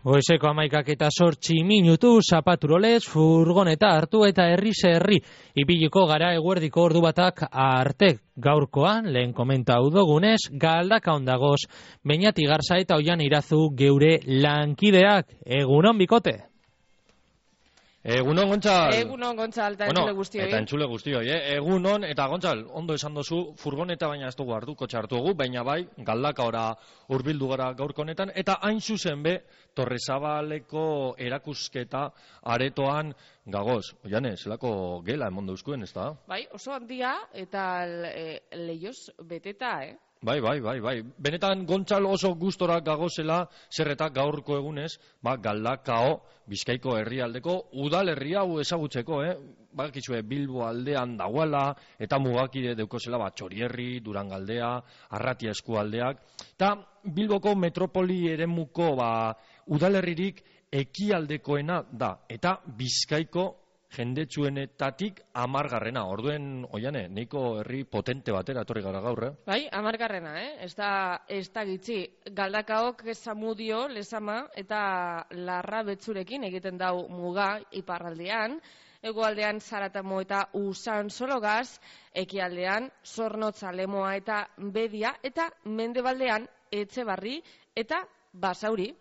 Goizeko 11:08 zapaturolez, furgoneta hartu eta herriz herri ibiliko gara eguerdiko ordu batak arte. Gaurkoan, lehen komenta hau dugunez, Galdaka ondagoz, Beñati Garza eta Oian Irazu geure lankideak. Egunon bikote! Egunon, Gontzal. Egunon, Gontzal, eta entzule guztioi. Eta entzule guztioi, Egunon, eta Gontzal, ondo esan dozu, furgoneta baina ez dugu hartu, kotxe hartu dugu, baina bai, Galdaka ora hurbildu gara gaurko honetan, eta hain zuzen be, Torrezabaleko erakusketa aretoan gagoz. Oiane, zelako gela emon dauzkuen, ez da? Bai, oso handia, eta leioz beteta, Bai. Benetan Gontzal oso gustora gagozela, zerreta gaurko egunez, Galdakao, Bizkaiko herrialdeko udalerria hau ezagutzeko, Bakizue Bilbo aldean dagoela, eta mugakide deukozela, Txorierri, Durangaldea, Arratia eskualdeak, eta Bilboko metropoli eremuko udalerririk ekialdekoena da, eta Bizkaiko jendetsuenetatik 10garrena. Orduen, Oiane, neiko herri potente batera etorri gara gaur, Bai, 10garrena, Ez da gitzi. Galdakaok Zamudio, Lezama eta Larra Betzurekin egiten dau muga iparraldean, hegoaldean Zaratamo eta Usansologaz, ekialdean Zornotza, Lemoa eta Bedia, eta mendebaldean Etxebarri eta Basauri.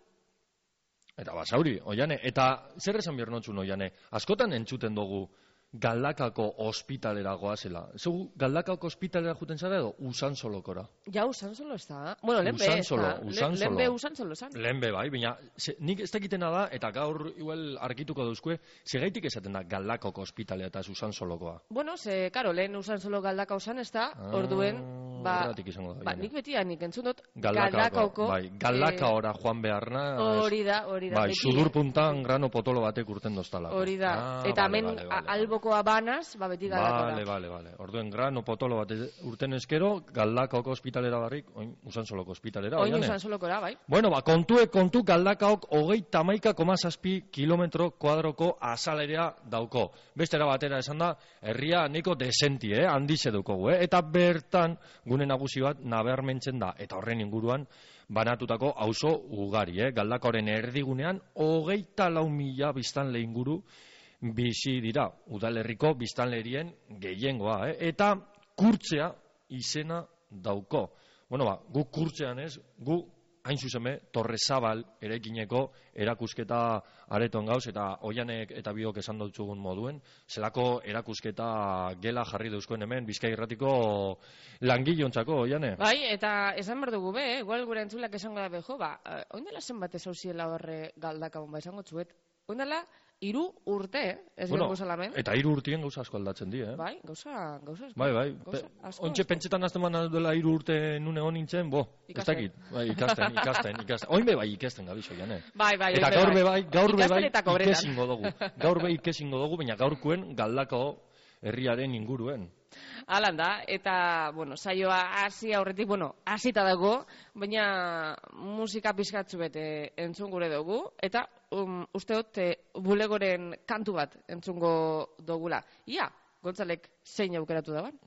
Eta Basauri, Oiane, eta zer esan behar notzun, Oiane, askotan entzuten dugu Galdakako ospitalera goazela. Zegu, Galdakako ospitalera juten zara edo Usansolokora? Ja, Usansolo ez da. Bueno, lehenbe ez da. Lehenbe Usansolo zan. Lehenbe bai, baina nik ez dakitena da, eta gaur igual argituko dauzkue, segaitik esaten da Galdakako ospitalea eta Usansolokoa? Bueno, karo, lehen Usansolo Galdaka osan ez da, orduen, nik betianik entzun dut Galdakaoko. Bai, Galdaka ora joan beharna. Hori da. Bai, sudur puntan grano potolo batek urten doztalako. Hori da, eta hemen alboko abanaz, beti Galdakora. Vale. Orduen grano potolo bat urten eskero, Galdakaoko ospitalera barrik, oin Usansoloko ospitalera. Oin Usansolokora, bai. Bueno, kontu Galdakaok 31,7 kilometro kuadroko azalerea dauko. Bestera batera esan da, herria niko desenti, handize daukogu, eta bertan gune nagusi bat nabarmentzen da, eta horren inguruan banatutako auzo ugari, Galdakaoren erdigunean 24.000 biztanle inguru bizi dira, udalerriko biztanlerien gehiengoa, eta kurtzea izena dauko. Bueno, gu kurtzean ez, gu hain zuzeme Torrezabal eraikineko erakusketa areton gauz, eta Oianek eta biok esan dutzugun moduen, zelako erakusketa gela jarri dauzkoen hemen, Bizkai Irratiko langilontzako, Oiane? Bai, eta esan behar dugu igual gure entzulak esango da beho, oindela zenbat ezauziela horre Galdakabon, esango txuet, oindela 3 urte, ez dugu salamen. Eta 3 urtien gauza asko aldatzen di, Bai, gauza asko. Bai. Ontxe pentsetan azten baina duela 3 urte nun egon nintzen, ez dakit. Bai, ikasten. Oinbe bai ikasten gabizo, Jane. Bai. Eta gaur be bai ikesingo dugu. Gaur be ikesingo dugu, baina gaurkuen Galdakao herriaren inguruen. Alan da, eta, saioa hasi aurretik, hasita dago, baina musika pizkatzu bete entzun gure dugu, eta usteot bulegoren kantu bat entzungo dugula. Ia, Gontzalek zein aukeratu daban?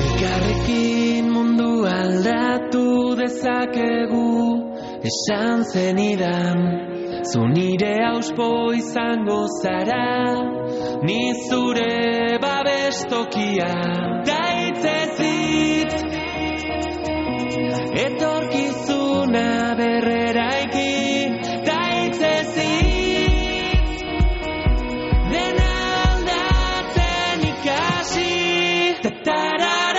Elkarrekin mundu aldatu dezakegu, esan zenidan, zu nire auspo izango zara, ni zure babestokia. Daitzezit, etorkizuna berreraiki, daitzezit, dena aldatzen ikasi, tatarara.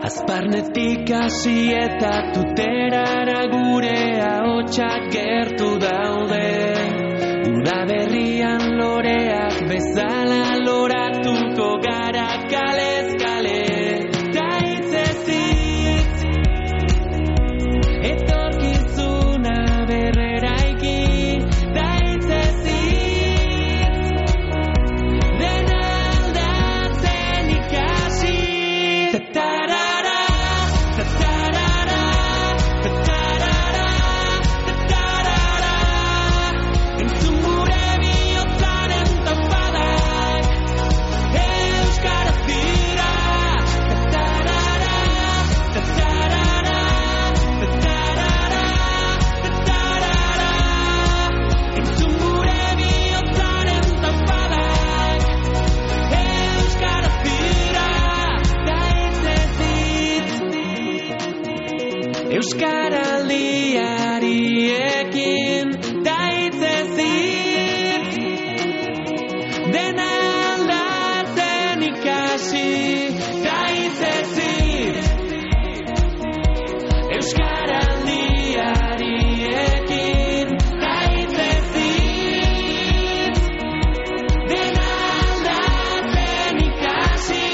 Azparnetik hasi eta tuterara gure ahotsak gertu daude. Udaberrian loreak bezala loratuko gara kalez kale. Daitzezit, etorkizuna berreraiki. Daitzezit, dena alda. Euskaraldiari ekin da hitzezit dena aldatzen ikasi da hitzezit Euskaraldiari ekin da hitzezit dena aldatzen ikasi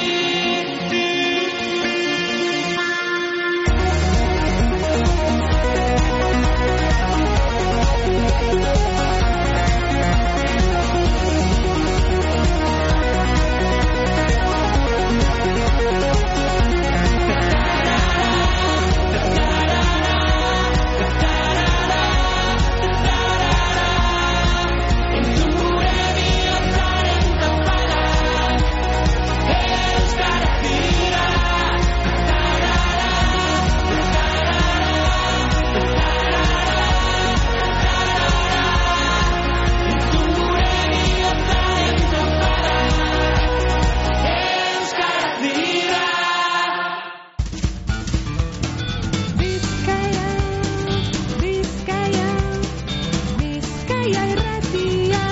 Bizkaia irratia.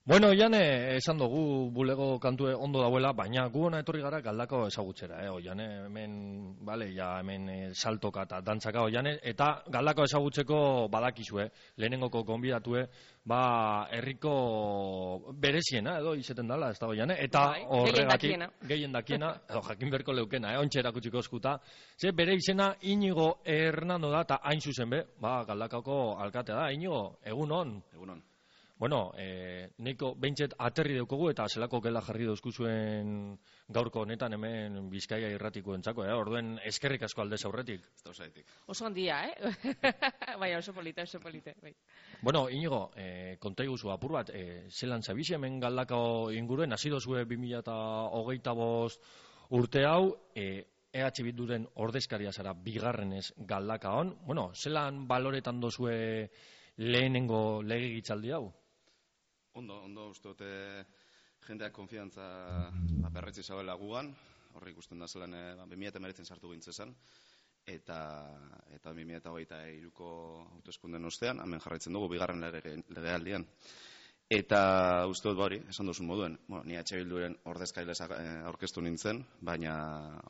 Bueno, Jane, esan dugu bulego kantue ondo dauela, baina gu hona etorri gara Galdakao ezagutzera, Jane, hemen, bale, ja, hemen saltoka eta dantzaka, Jane, eta Galdakao ezagutzeko badakizue, lehenengoko gonbidatue, herriko bereziena, edo, izeten dala, ez da, Jane, eta horregatik, gehien dakiena, edo, jakin berko leukena, ontsa erakutsiko eskuta, ze bere izena Inigo Hernando da, eta hain zuzen be, Galdakaoko alkatea da, Inigo, egunon. Egunon. Bueno, neiko behintzet aterri daukogu eta zelako gela jarri dauzku zuen gaurko honetan hemen Bizkaia irratiko entzako, orduen eskerrik asko aldez aurretik. Ez da osaitik. Oso handia, Baina oso polita. Bai. Bueno, Inigo, konta iguzu apur bat, zelan zabizi hemen Galdakao inguruen, hasi dozue 2025 urte hau, EH Bilduren ordezkaria zara bigarrenez Galdakaon, bueno, zelan baloretan dozue lehenengo legegintzaldi hau? Ondo, uste dute jendeak konfiantza berretzi zabela gugan, horri ikusten da zelan 2019 sartu gintzezan, eta 2023ko hauteskunden ostean, hemen jarraitzen dugu bigarren legealdian. Eta uste dut hori, esan duzun moduen, ni EH Bilduren ordezkaile aurkeztu nintzen, baina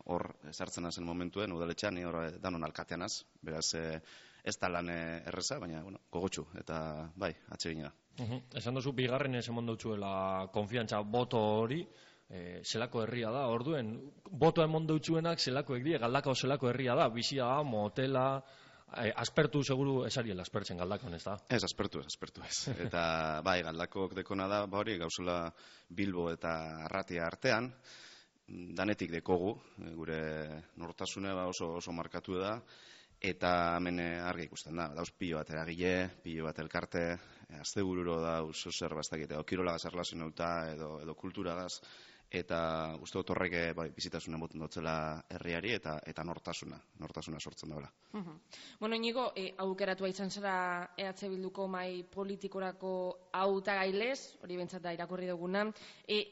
hor sartzen hazen momentuen, udaletxean, ni hor danon alkateanaz, beraz ez da lan erreza, baina gogotsu, eta bai, atsegina. Esan duzu, bigarren ez emon dutzuela konfiantza boto hori, zelako herria da, orduen, boto emon dutzuenak zelakoek die, Galdakao zelako herria da, bizia da, motela, aspertu seguru esariela aspertzen Galdakaon, ez da? Ez, aspertu ez. Eta bai, Galdakaok dekona da, hori, gauzula Bilbo eta Arratia artean, danetik dekogu, gure nortasune oso markatu da, eta hemen argi ikusten da, dauz pilo bat eragile, pilo bat elkarte, astebururo dauz zer bastakite, edo kirolagaz erlazionauta, edo kulturagaz, eta uste dut horrek bizitasuna boten dutzela herriari eta nortasuna sortzen daula. Bueno, Inigo, aukeratua izan zara EH Bilduko mai politikorako hautagailez, hori bentsat da irakurri duguna.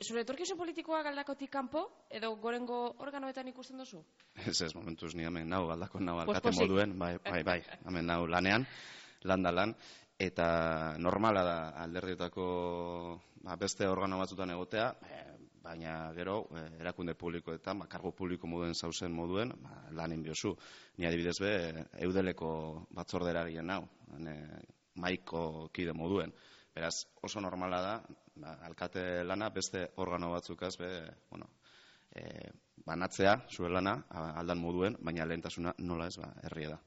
Zure etorkizun politikoa Galdakotik kanpo, edo gorengo organoetan ikusten duzu? Ez, momentuz ni hemen nau Galdakon nau alkate moduen, bai, hemen nau lanean, lan, eta normala da alderdietako beste organo batzutan egotea, baina gero erakunde publikoetan, kargo publiko moduen zauzen moduen, lanen biozu. Ni adibidez be, Eudeleko batzordera gien nau, maiko kide moduen. Beraz, oso normala da, alkate lana beste organo batzukaz be, banatzea, zure lana, aldan moduen, baina lehentasuna nola ez, herria da.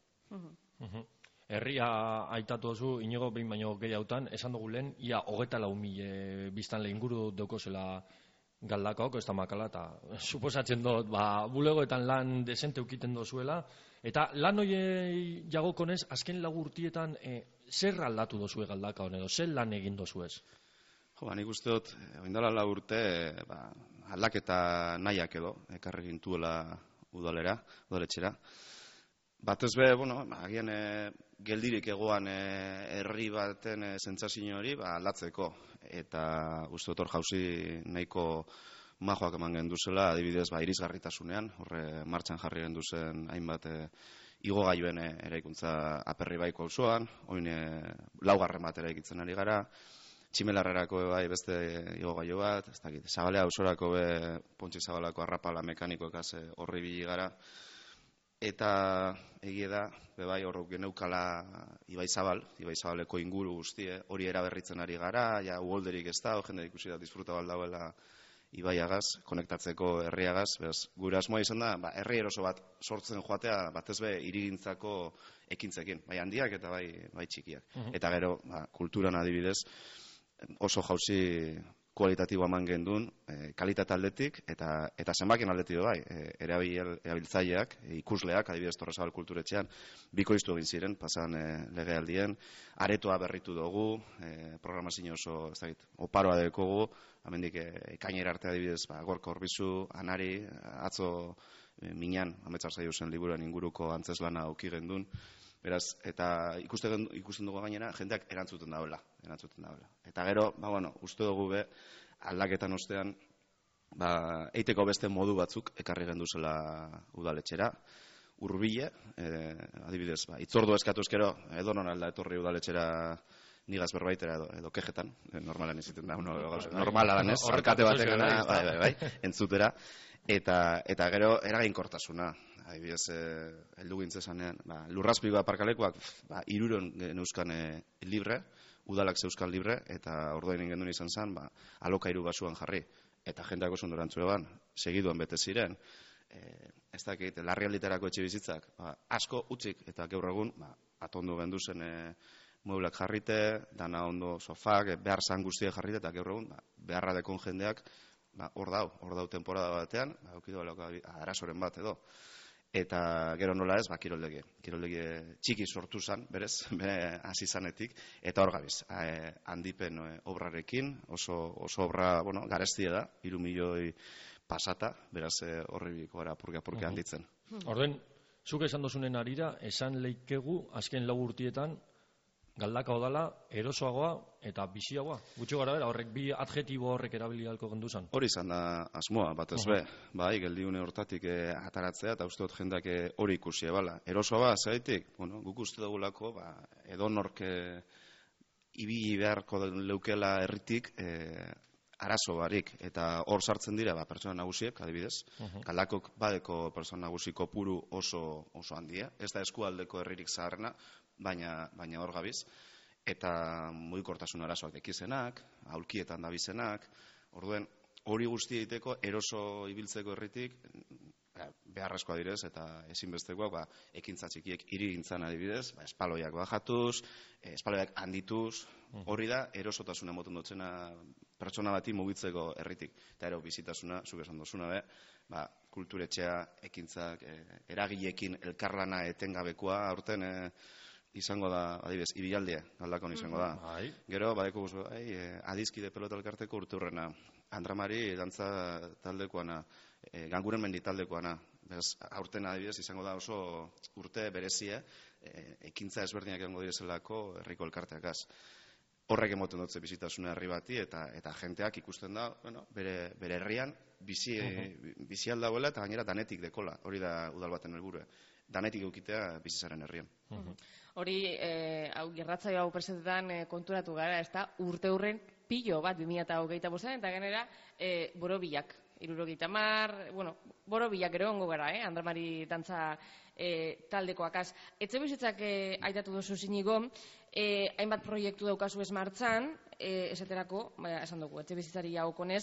Herria aitatu oso, Inigo behin baino gehiagotan, esan dugu lehen, ia 24.000 biztanle inguru daukozela Galdakaok, ez da makala, eta suposatzen dut, bulegoetan lan desente ukiten dozuela, eta lan hori jagokonez, azken lagurtietan, zer aldatu dozue Galdakaon, edo zer lan egin dozuez? Nik uste dut, oindala 4 urte, aldaketa nahiak edo, ekarri gintuela udaletxera. Batez be, agian geldirik egoan herri baten sentsazio hori aldatzeko, eta uste dut hor jauzi nahiko majoak eman genduzela, adibidez, irisgarritasunean, horre martxan jarri genduzen hainbat igogailuen eraikuntza Aperribaiko auzoan, oin laugarren bat eraikitzen ari gara, Tximelarrerako beste igogailu bat, ez dakit, Zabalea ausorako Pontxi Zabalako arrapala mekanikoekaz horri bili gara, eta egie da, hor geneukala Ibaizabaleko inguru guztie, hori eraberritzen ari gara, ja uholderik ez da, jende ikusi da disfruta baldauela Ibaiagaz, konektatzeko herriagaz, gure asmoa izan da, herri eroso bat sortzen joatea, batez be hirigintzako ekintzekin, bai handiak eta bai txikiak. Eta gero, kulturan adibidez, oso jauzi kualitatiboa eman gendun, kalitate aldetik eta zenbakien aldetik bai, erabiltzaileak, ikusleak, adibidez Torresabal kulturetxean, bikoiztu egin ziren, pasan legealdien, aretoa berritu dugu, programazio oso, ez dakit, oparoa dekogu, amendik ekainera arte adibidez, Gorka Orbizu, Anari, atzo minan, ametsa zaio zen liburuan inguruko antzeslana auki gendun, beraz, eta ikusten dugu gainera, jendeak erantzuten dauela. Eta gero, uste dugu aldaketan ostean, eiteko beste modu batzuk ekarri genduzela udaletxera, hurbile, adibidez, itzordu eskatu eskero, edo non alda etorri udaletxera nigaz berbaitera edo kejetan, normalan iziten da, normala danez, arkate batek entzutera, eta gero eraginkortasuna. Adibidez, heldu gintzezanean, lurrazpiko aparkalekuak 300 neuzkan libre, udalak zeuzkan libre, eta ordoen ingendun izan zen, alokairu basuan jarri. Eta jendeak oso ondorantzue ban, segiduan bete ziren, ez dakit, larrialditerako etxe bizitzak, asko utzik, eta gaur egun, atondo gendu zen mueblak jarrite, dana ondo sofak, behar zan guztiak jarrite, eta gaur egun, beharra dekon jendeak, hor dau temporada batean, aukidu arazoren bat edo. Eta gero nola ez, kiroldegi txiki sortu zan, berez, hasi zanetik, eta hor gabiz, handipen obrarekin, oso obra, garestia da, 3 milioi pasata, beraz horribiko gara purke handitzen. Orden, zuk esan dozunen arira, esan leikegu, azken 4 urtietan, Galdakao dala, erosoagoa eta biziagoa. Gutxo gara bera, horrek bi adjetibo horrek erabili halko genduzan. Hori izan da asmoa, batez be. Bai, geldiune hortatik ataratzea, eta uste dut jendak hori ikusi ebala. Erosoa zaitik, guk uste dugulako, edonork ibili beharko leukela herritik arazo barik. Eta hor sartzen dira, pertsona nagusiek, adibidez. Galdakok badeko pertsona nagusi kopuru oso handia. Ez da eskualdeko herririk zaharrena, baina hor gabiz, eta mugikortasun arazoak dekizenak, aulkietan dabizenak, orduen hori guzti egiteko eroso ibiltzeko herritik beharrezkoa direz eta ezinbestekoak ekintza txikiek hirigintzan adibidez, espaloiak bajatuz, espaloiak handituz, hori da erosotasuna moten dutzena pertsona bati mugitzeko herritik. Eta ero bizitasuna, zuk esan dozuna kulturetxea, ekintzak, eragileekin elkarlana etengabekoa, aurten izango da, adibidez, ibilaldia, Galdakon izango da. Gero, badeko guzu, adizkide pelota elkarteko urte hurrena, Andramari dantza taldekoana, Ganguren mendi taldekoana. Aurten adibidez izango da oso urte berezie, ekintza ezberdinak egongo direzelako herriko elkarteakaz. Horrek emoten dutze bizitasuna herri bati, eta jenteak ikusten da, bere herrian, bizi aldauela eta gainera danetik dekola. Hori da udal baten helburua. Danetik eukitea bizizaren herrian. Hori, gerratzaio hau presentetan konturatu gara, ez da, urte hurren pilo bat 2025 eta genera borobilak. 70, borobilak ero ongo gara, Andramari dantza taldekoakaz. Etxe bizitzak aitatu duzu zinigo, hainbat proiektu daukazu ez martxan, esaterako, esan dugu, etxe bizitzari jagokonez.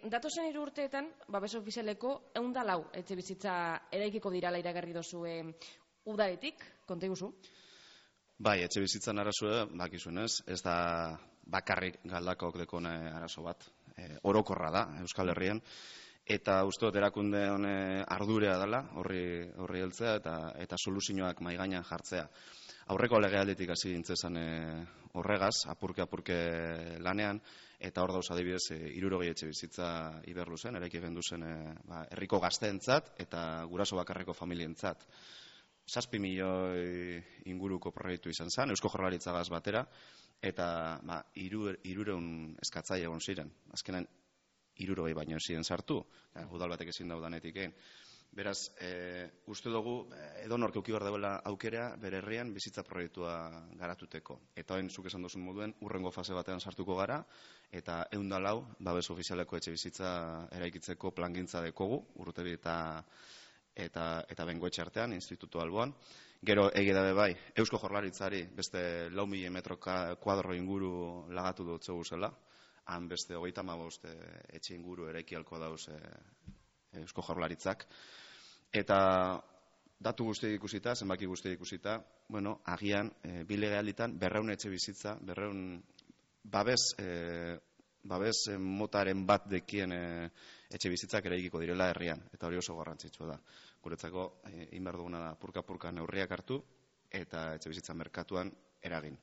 Datozen 3 urteetan, babes ofizialeko 104 etxe bizitza eraikiko dirala iragarri dozu udaletik, konta iguzu? Bai, etxe bizitzan arazoa, bakizunez, ez da bakarrik Galdakaok dekone arazo bat. Orokorra da, Euskal Herrian, eta uste dut erakunde hone ardurea dela, horri heltzea, eta soluzioak maigainan jartzea. Aurreko legealditik hasi dintzezan horregaz, apurke lanean, eta hor dauz adibidez 60 etxe bizitza Iberluzen, eraiki genduzen herriko gazteentzat eta guraso bakarreko familientzat. 7 milioi inguruko proiektu izan zen, Eusko Jaurlaritzagaz batera, eta 300 eskatzaile egon ziren. Azkenan, hirurogei baino ezin sartu, udal batek ezin daudanetik egin. Beraz, uste dugu, edonork eduki behar duela aukera bere herrian bizitza proiektua garatuteko. Eta orain zuk esan duzun moduen, urrengo fase batean sartuko gara, eta 104 babes ofizialeko etxe bizitza eraikitzeko plangintza dekogu, Urrutebi eta Bengoetxe artean, institutu alboan. Gero egia da bai, Eusko Jaurlaritzari beste 4.000 metro kuadro inguru lagatu dutze guzela, han beste 35 etxe inguru eraiki halko dauz Eusko Jaurlaritzak. Eta datu guztiak ikusita, zenbaki guztiak ikusita, bueno, agian, bi legealditan 200 etxe bizitza, 200 babes motaren bat dekien etxe bizitzak eraikiko direla herrian, eta hori oso garrantzitsua da. Guretzako, inbar duguna da, purka-purka neurriak hartu, eta etxe bizitza merkatuan eragin.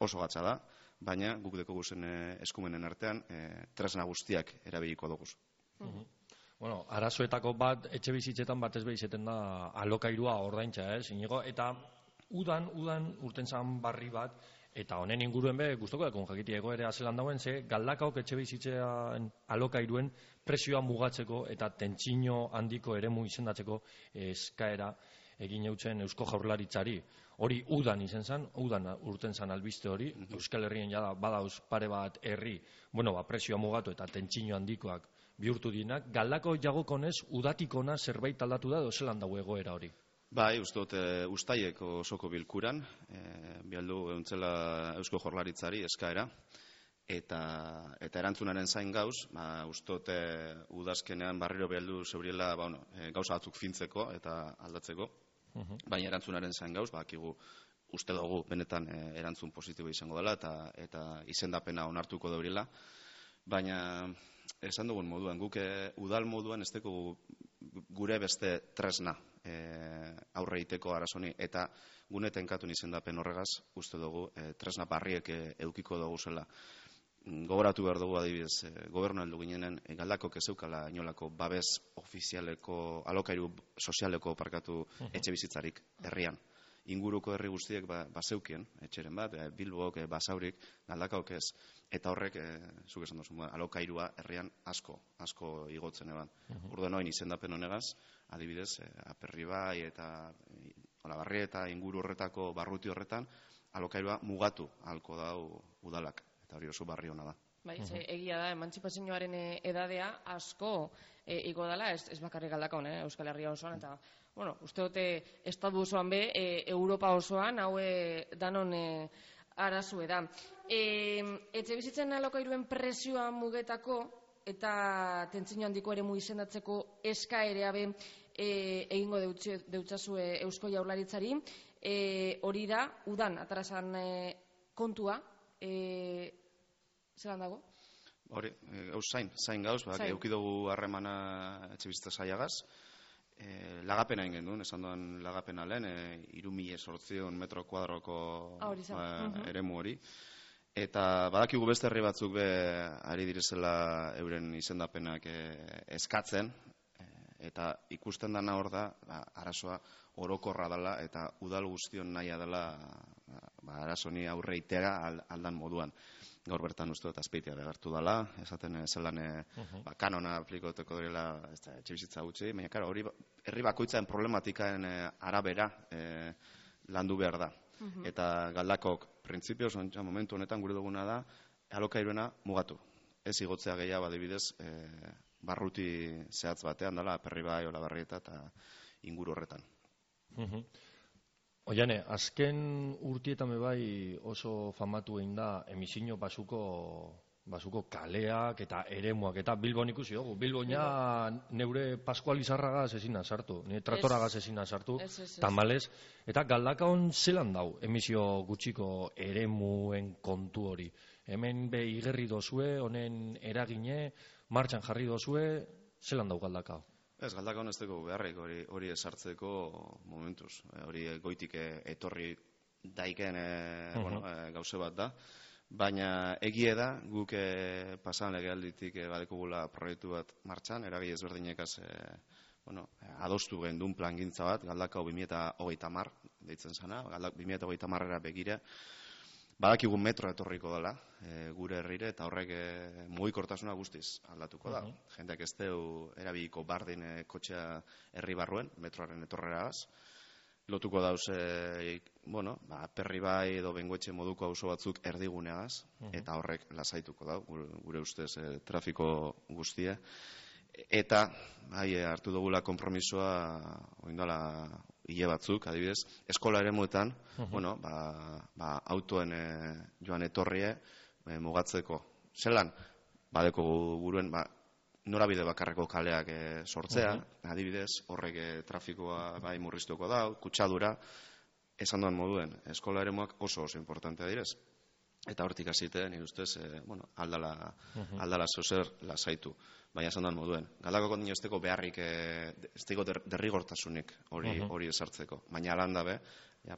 Oso gatza da, baina guk deko guzen eskumenen artean, tresna guztiak erabiliko duguz. Bueno, arazoetako bat, etxe bizitzetan batez behizeten da alokairua ordaintza, Inigo, eta udan urten zan barri bat, eta honen inguruen be, guztoko dekon jakitia egoera zelan dauen, ze galdakaok etxe bizitzean alokairuen presioa mugatzeko eta tentsino handiko eremu izendatzeko eskaera egin eutzen Eusko Jaurlaritzari. Hori udan izen zan, udan urten zan albiste hori, Euskal Herrien jada badauz pare bat herri, presioa mugatu eta tentsino handikoak bihurtu dinak, galdako jagokonez udatikona zerbait aldatu da edo zelan dago egoera hori? Bai, uste dut uztaileko osoko bilkuran, bialdu euntzela Eusko Jaurlaritzari eskaera, eta erantzunaren zain gauz, uste dut udazkenean barriro bialdu zebriela gauza batzuk fintzeko eta aldatzeko, baina erantzunaren zain gauz, bakigu uste dugu benetan erantzun positibo izango dela eta izendapena onartuko daurila, baina esan dugun moduan, guk udal moduan ez dugu gure beste tresna aurre egiteko arazoni, eta gune tenkatun izendapen horregaz, uste dugu tresna barriek eukiko dugu zela. Gogoratu behar dugu adibidez, gobernu heldu ginenen galdakok ez zeukala inolako babes ofizialeko, alokairu sozialeko parkatu etxe bizitzarik herrian. Inguruko herri guztiek bazeukien, etxeren bat, Bilbok, Basaurik, galdakaok ez. Eta horrek, zuk esan duzu, alokairua herrian asko igotzen eban. Urden oin izendapen honegaz, adibidez, Aperribai eta Olabarri eta inguru horretako barruti horretan, alokairua mugatu ahalko dau udalak. Eta hori oso barri hona da. Bai, egia da, emantzipazioaren edadea asko igo dela, ez bakarrik galdakaon, Euskal Herria osoan, eta uste dute estatu osoan be, Europa osoan, haue danon arazue da. Etxe bizitzen alokairuen presioa mugetako eta tentsio handiko eremu izendatzeko eskaerea be egingo deutsazue Eusko Jaurlaritzari, hori da, udan, atarasan kontua, zelan dago? Hori, zain gauz, eukidugu harremana etxe bizitza saiagaz, lagapena egin duen, esan duen lagapena lehen, 3.800 metro kuadroko eremu hori. Eta badakigu beste herri batzuk be ari direzela euren izendapenak eskatzen, eta ikusten dana hor da, arazoa orokorra dela eta udal guztion nahia dela arazoni aurre itera aldan moduan. Gaur bertan uste dut Azpeitia begartu dela, esaten zelan kanona aplikoteko direla etxe bizitza gutxi, baina hori herri bakoitzaren problematikaen arabera landu behar da. Eta galdakok, printzipioz, momentu honetan gure duguna da, alokairuena mugatu. Ez igotzea gehiago adibidez, barruti zehatz batean dela, Aperribai, Olabarri eta inguru horretan. Oiane, azken urtietan bai oso famatu egin da emisio basuko kaleak eta eremuak, eta Bilbon ikusi dugu. Bilbon ja neure Paskualizarragaz ezina sartu, nire Tratoragaz ezina sartu, tamalez, eta galdakaon zelan dau emisio gutxiko eremuen kontu hori. Hemen be igerri dozue, honen eragine, martxan jarri dozue, zelan dau galdakao? Ez, galdakaon ez dugu beharrik hori esartzeko momentuz. Hori goitik etorri daiken gauze bat da. Baina egie da, guk pasan legealditik badekugula proiektu bat martxan, eragile ezberdinekaz adostu gendun plangintza bat, galdakao 2030 deitzen zana, 2030-era begira. Badakigu metroa etorriko dela gure herrire, eta horrek mugikortasuna guztiz aldatuko da. Jendeak ez deu erabiliko bardin kotxea herri barruen, metroaren etorreraz. Lotuko dauz, Aperribai edo Bengoetxe moduko auzo batzuk erdiguneaz, eta horrek lasaituko da, gure ustez trafiko guztie. Eta hartu dugula konpromisoa oindala hile batzuk, adibidez, eskola eremuetan, autoen joan etorrie mugatzeko. Zelan, badeko buruen, norabide bakarreko kaleak sortzea, adibidez, horrek trafikoa bai murriztuko da, kutsadura, esan duan moduen, eskola eremuak oso importantea direz. Eta hortik hasite, nire ustez, aldala zozer lasaitu. Baina esan duan moduen. Galdakako nire esteko beharrik, esteko derrigortasunik hori esartzeko. Baina alan dabe,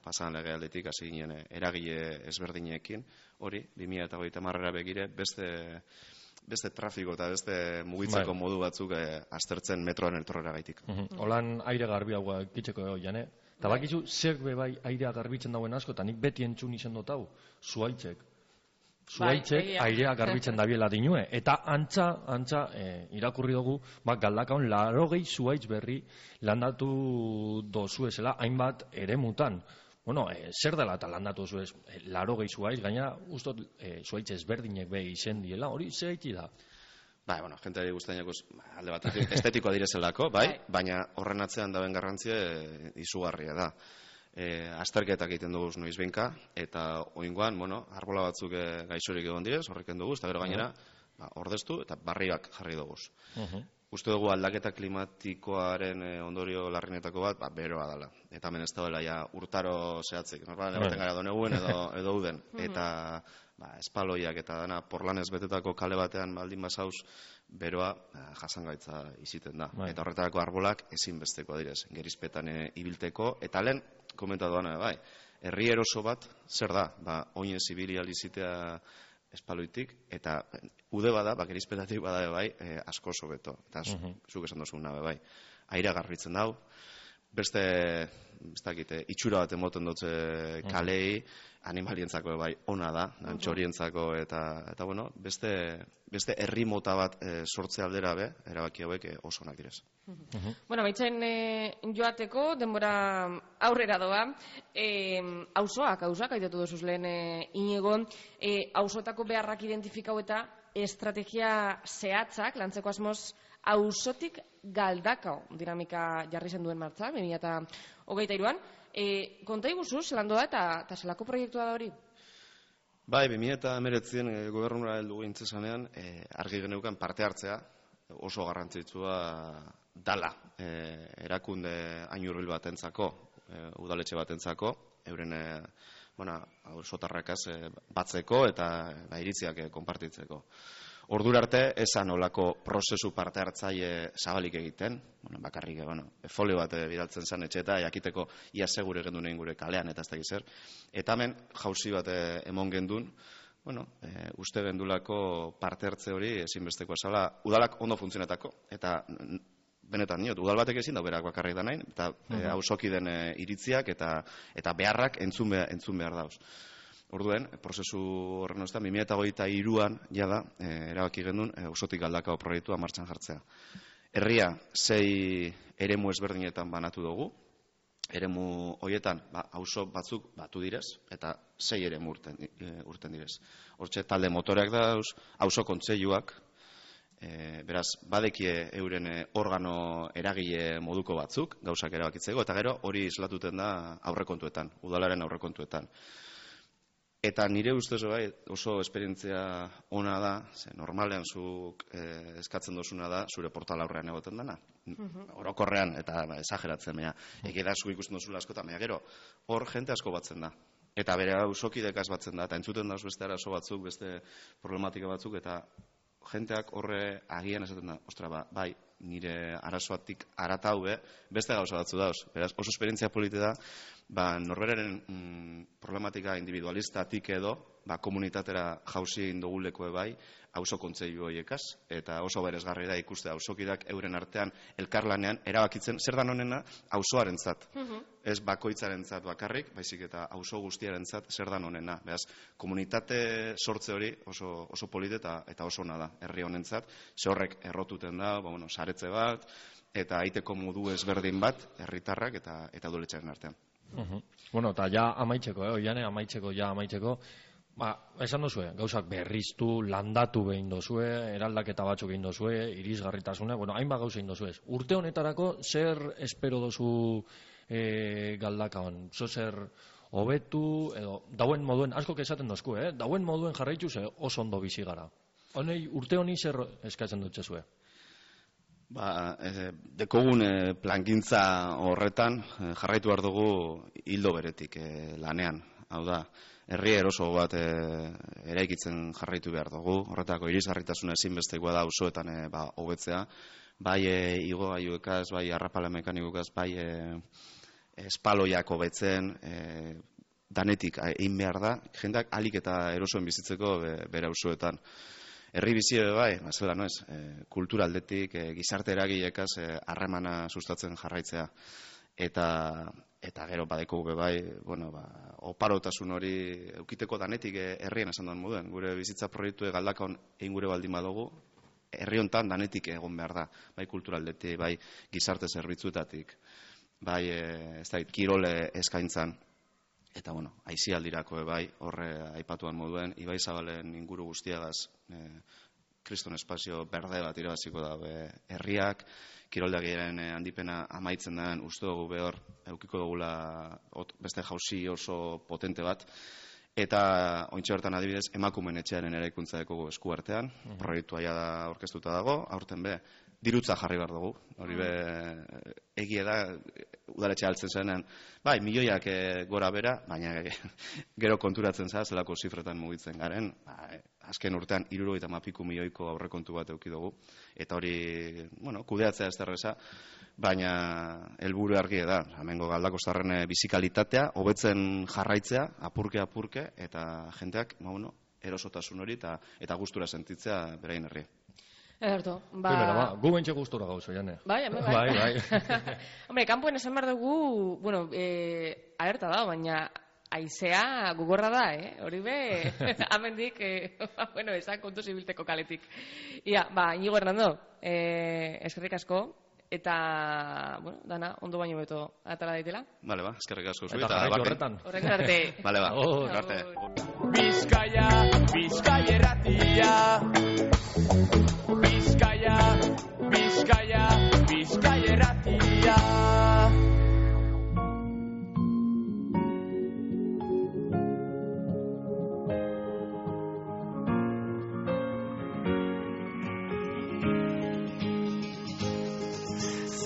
pasan legealdetik hasi ginen eragile ezberdinekin, hori, 2030 begire, beste trafiko eta beste mugitzeko modu batzuk aztertzen metroan etorrera gaitik. Holan aire garbi hau gitzeko jane. Eta bakizu, zer bai airea garbitzen dauen asko, eta nik beti entzun izen dut hau, zuaitzek. Zuaitzek airea garbitzen dabiela dinue. Eta antza irakurri dugu, Galdakaon 80 zuaitz berri landatu dozuezela hainbat eremutan. Zer dela eta landatu zuez 80 zuaitz, gaina ustot zuaitz ezberdinek be izen diela, hori zer gaiti da? Jenteari guztainako alde batetik estetikoa direzelako, baina horren atzean daben garrantzia izugarria da. Azterketak egiten dugu noiz behinka, eta oingoan, arbola batzuk gaixorik egon direz, horreken dugu, eta gero gainera, ordeztu eta barriak jarri dugu. Uste dugu aldaketa klimatikoaren ondorio larrinetako bat, beroa dela. Eta hemen ez da urtaro zehatzik. Normalan ematen gara doneguen edo uden. Eta espaloiak eta dana porlanez betetako kale batean baldin basauz, beroa jasangaitza iziten da. Eta horretarako arbolak ezinbesteko direz, gerizpetan ibilteko. Eta lehen, komentatu dana, herri eroso bat, zer da? Oinen zibilial izitea espaloitik, eta ude bada, gerizpetatik bada asko oso beto. Eta zuk esan dozun nabe aira garbitzen dau, beste itxura bat emoten dutze kalei, animalientzako ona da, txorientzako, eta beste herri mota bat sortze aldera erabaki hauek oso onak direz. Baitzen joateko, denbora aurrera doa, auzoak aitatu dozuz lehen Inigo, auzoetako beharrak identifikau eta estrategia zehatzak, lantzeko asmoz, auzotik Galdakao dinamika jarri zen duen martza, 2023an. Konta iguzu, zelan doa eta zelako proiektua da hori? 2019 gobernura heldu gintzesanean, argi geneukan parte hartzea oso garrantzitsua dala erakunde hain hurbil batentzako, udaletxe batentzako, euren auzotarrakaz batzeko eta iritziak konpartitzeko. Ordura arte, esan olako prozesu parte hartzaile zabalik egiten, bakarrik, folio bat bidaltzen zen etxeta, jakiteko ia segure gendun egin gure kalean eta ez da gizer. Eta hemen jauzi bat emon gendun, uste gendulako parte hartze hori ezinbesteko esala, udalak ondo funtzionetako, eta benetan niot, udal batek ezin da berak bakarrik da nahin, eta auzoki den iritziak eta beharrak entzun behar dauz. Orduen, prozesu horren ostean, 2023an jada, erabaki gendun, auzotik Galdakao proiektua martxan jartzea. Herria 6 eremu ezberdinetan banatu dugu, eremu hoietan, auzo batzuk batu direz, eta 6 eremu urten direz. Hortxe, talde motoreak dauz, auzo kontseiluak, beraz, badekie euren organo eragile moduko batzuk, gauzak erabakitzeko, eta gero hori islatuten da aurrekontuetan, udalaren aurrekontuetan. Eta nire ustez oso esperientzia ona da, normalean zuk eskatzen dozuna da, zure portal aurrean egoten dana. Orokorrean, eta esageratzen, egeda zuk ikusten dozula askotan, gero, hor jente asko batzen da. Eta bere auzokidekaz batzen da, eta entzuten dauz beste arazo batzuk, beste problematika batzuk, eta jenteak horre agian esaten da, ostra, nire arazoatik aratau beste gauza batzu dauz. Beraz, oso esperientzia polite da, norberaren problematika individualistatik edo komunitatera jauzi egin duguleko bai, auzo kontseilu horiekaz, eta oso beresgarri da ikuste auzokideak euren artean elkarlanean erabakitzen zer dan honena auzoarentzat. Ez bakoitzarentzat bakarrik, baizik eta auzo guztiarentzat zer dan honena. Beraz, komunitate sortze hori oso polit eta oso ona da herri honentzat, ze horrek errotuten da, saretze bat, eta aiteko modu ezberdin bat herritarrak eta udaletxearen artean. Eta ja amaitzeko, Oiane, amaitzeko, esan dozue, gauzak berriztu, landatu behin dozue, eraldaketa batzuk egin dozue, irisgarritasuna, hainbat gauza egin dozue. Urte honetarako, zer espero dozu Galdakaon? Zer hobetu, edo, dauen moduen, asko esaten dozku, dauen moduen jarraitu ze oso ondo bizi gara. Urte honi zer eskatzen dut zezue? Dekogun plangintza horretan jarraitu behar dugu hildo beretik lanean. Hau da, herri eroso bat eraikitzen jarraitu behar dugu. Horretako irisgarritasuna ezinbestekoa da auzoetan hobetzea. Bai igogailuekaz, bai arrapala mekanikoekaz, bai espaloiak hobetzen, danetik egin behar da, jendeak ahalik eta erosoen bizitzeko bere auzoetan. Herri bizi bai, zela no ez, kultura aldetik, gizarte eragileekaz harremana sustatzen jarraitzea. Eta gero badeko bai, oparotasun hori eukiteko danetik herrien esan duen moduen. Gure bizitza proiektu Galdakaon egin gure baldin badugu, herri hontan danetik egon behar da. Bai kulturaldetik, bai gizarte zerbitzuetatik, bai kirole eskaintzan. Eta aisialdirako bai, horre aipatuan moduen, Ibai Zabalen inguru guztiagaz kriston espazio berde bat irabaziko da herriak, kiroldegiaren handipena amaitzen den, uste dugu behor, eukiko dugula beste jauzi oso potente bat, eta ointxe hortan adibidez, emakumeen etxearen eraikuntza dekogu eskuartean, proiektua ja da orkestuta dago, aurten dirutza jarri behar dugu, hori egia da, udaletxe altzen zenean, bai, milioiak gora bera, baina gero konturatzen za, zelako zifretan mugitzen garen, azken urtean 70 milioiko aurrekontu bat eduki dugu, eta hori, kudeatzea ez derreza, baina helburu argi da, hemengo Galdakostarren bizikalitatea, hobetzen jarraitzea, apurke, eta jendeak, erosotasun hori eta gustura sentitzea berain herri. Ederto, gu bentxe gustura gauzo, Jane. Bai. Hombre, kanpoen esan behar dugu, alerta da, baina aizea gugorra da, hori amendik, esan kontu zibilteko kaletik. Ia, Inigo Hernando, eskerrik asko, eta, dana, ondo baino beto atala daitela. Bale, eskerrik asko zu, eta jarraitu horretan. Horrekin arte. Bale, arte. Bizkaia erratia. Bizkaia erratia.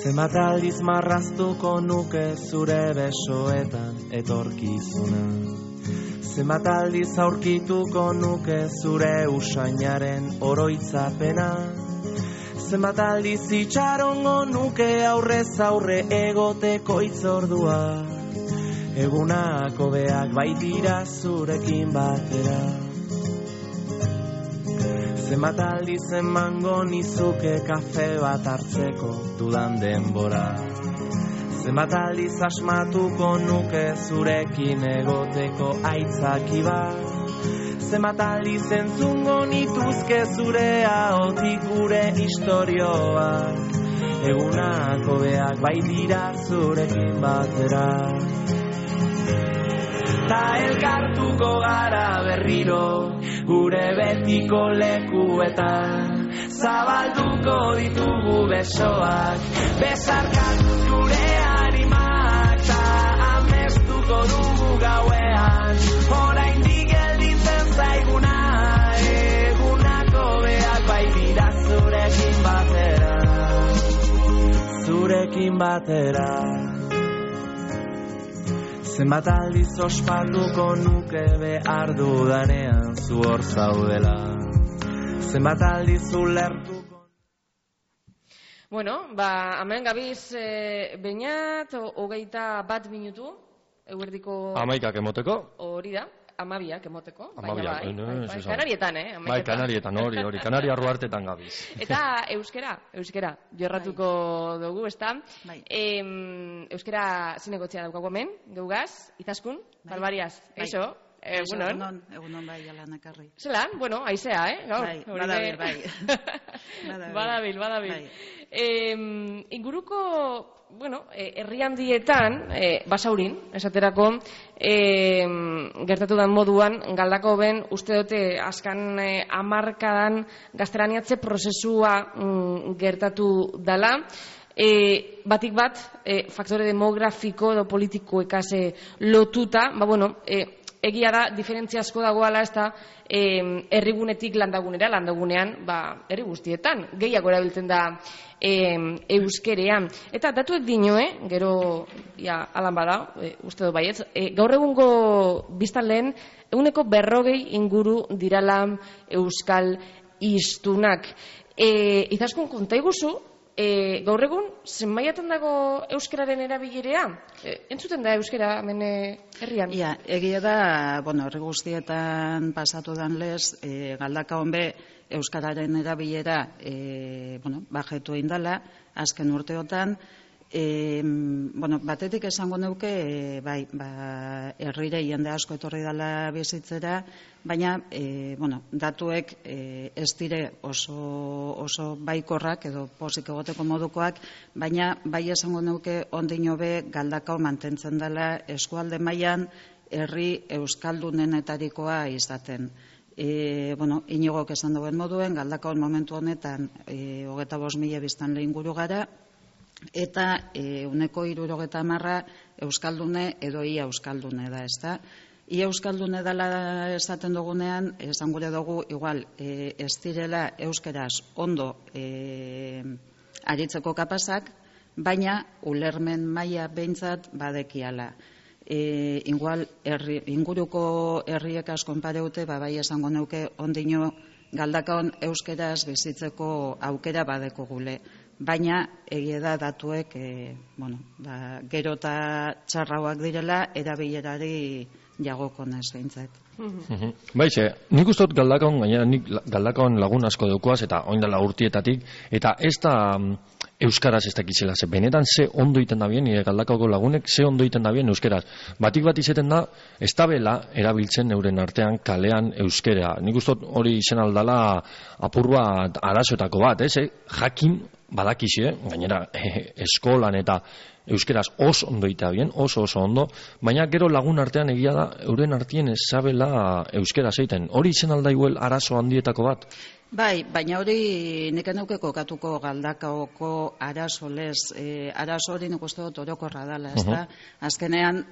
Zenbat aldiz marraztuko nuke zure besoetan etorkizuna. Zenbat aldiz aurkituko nuke zure usainaren oroitzapena. Zenbat aldiz itxarongo nuke aurrez aurre egoteko itzordua. Egunak hobeak baitira zurekin batera. Zenbat aldiz emango nizuke kafe bat hartzeko dudan denbora. Zenbat aldiz asmatuko nuke zurekin egoteko aitzaki bat. Zenbat aldiz entzungo nituzke zure ahotik gure istorioak. Egunak hobeak baitira zurekin batera. Ta elkartuko gara berriro gure betiko lekuetan. Zabalduko ditugu besoak, besarkatu gure animak. Ta amestuko dugu gauean, oraindik gelditzen zaiguna. Egunak hobeak baitira zurekin batera. Zurekin batera. Zenbat aldiz ospatuko nuke behar dudanean zu hor zaudela. Zenbat aldiz ulertuko... hemen gabiz beinat, 21 minutu, eguerdiko... 11 emoteko. Hori da. 12 emoteko. 12, Kanarietan, Bai, Kanarietan, hori, Kanaria ruartetan gabiz. Eta euskera, jorratuko dugu, ezta? Bai. Euskera zinegotzia daukagu hemen, geugaz, Izaskun, Barbariaz, eixo? Egunon bai, Alan ekarri. Zelan, haizea, gaur. Bai, badabil. Badabil. Inguruko, herri handietan, Basaurin, esaterako, gertatu den moduan, Galdakao ben, uste dute, azkan hamarkadan gaztelaniatze prozesua gertatu dala, batik bat, faktore demografiko edo politikoekaz lotuta, egia da, diferentzia asko dagoala, ez da, herrigunetik landagunean, herri guztietan, gehiago erabiltzen da euskerean. Eta datuek dinoe, gero, alan bada, uste dut baietz, gaur egungo biztanleen, 40% inguru dirala euskal hiztunak. Izaskun, konta iguzu, gaur egun, zenbaiatan dago euskararen erabilerea? Entzuten da euskara hemen herrian? Egia da, herri guztietan pasatu dan lez, Galdakaon be euskararen erabilera bajetu indala, azken urteotan. Batetik esango neuke, herrire jende asko etorri dela bizitzera, baina, datuek ez dire oso baikorrak edo pozik egoteko modukoak, baina bai esango neuke ondino be Galdakao mantentzen dela eskualde mailan herri euskaldunenetarikoa izaten. Inigok esan duen moduen, Galdakaon momentu honetan 25.000 biztanle inguru gara, eta 70% euskaldune edo ia euskaldune da, ezta? Ia euskaldune dela esaten dugunean, esan gure dugu, igual, ez direla euskeraz ondo aritzeko kapazak, baina ulermen maila behintzat badekiala. Igual, inguruko herriek asko konpareute, bai esango neuke ondino Galdakaon euskeraz bizitzeko aukera badeko gule. Baina egia da datuek gero eta txarrauak direla erabilerari jagokonez behintzat. Baixe, nik uste dut Galdakaon, gainera nik Galdakaon lagun asko daukoaz eta oindala urtietatik, eta ez da euskaraz ez dakizela, benetan ze ondo iten da bien, nire Galdakaoko lagunek ze ondo iten da bien euskeraz. Batik bat izeten da, ez da bela erabiltzen euren artean kalean euskera. Nik uste dut hori izen aldala apur bat arazoetako bat, jakin badakixe, gainera eskolan eta euskeraz oso ondo ita bien, oso ondo, baina gero lagun artean egia da, euren artien ez zabela euskera zeiten. Hori izen aldaiuel arazo handietako bat? Bai, baina hori nik enauke kokatuko Galdakaoko arazo lez, arazo hori nik uste dut orokorra dela, ez da? Azkenean,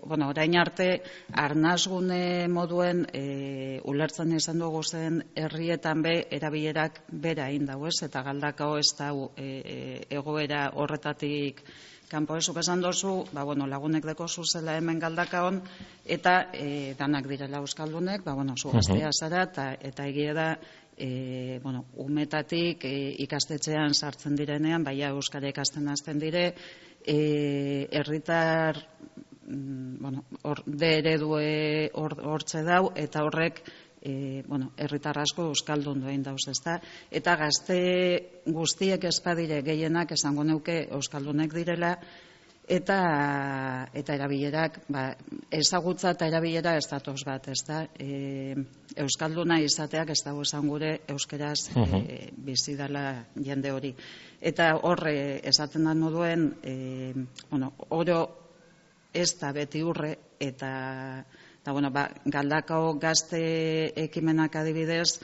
orain arte, arnazgune moduen ulertzen izan dugu zen herrietan be, erabilerak bera indau, ez? Eta Galdakao ez da egoera horretatik kanpo ezuk esan dozu, lagunek deko zuzela hemen Galdakaon, eta danak direla euskaldunek, zu gaztea zara, eta egia da, umetatik ikastetxean sartzen direnean, baina euskara ikasten hasten dire, herritar de eredue hortze dau, eta horrek herritar asko euskaldun duen dauz, ezta? Eta gazte guztiek espadire gehienak esango neuke euskaldunek direla, eta erabilerak, ezagutza eta erabilera ez datoz bat, ezta? Euskalduna izateak ez dago esan gure euskeraz bizi dela jende hori. Eta horre esaten da moduen, oro ez da beti urre, eta Galdakao gazte ekimenak adibidez,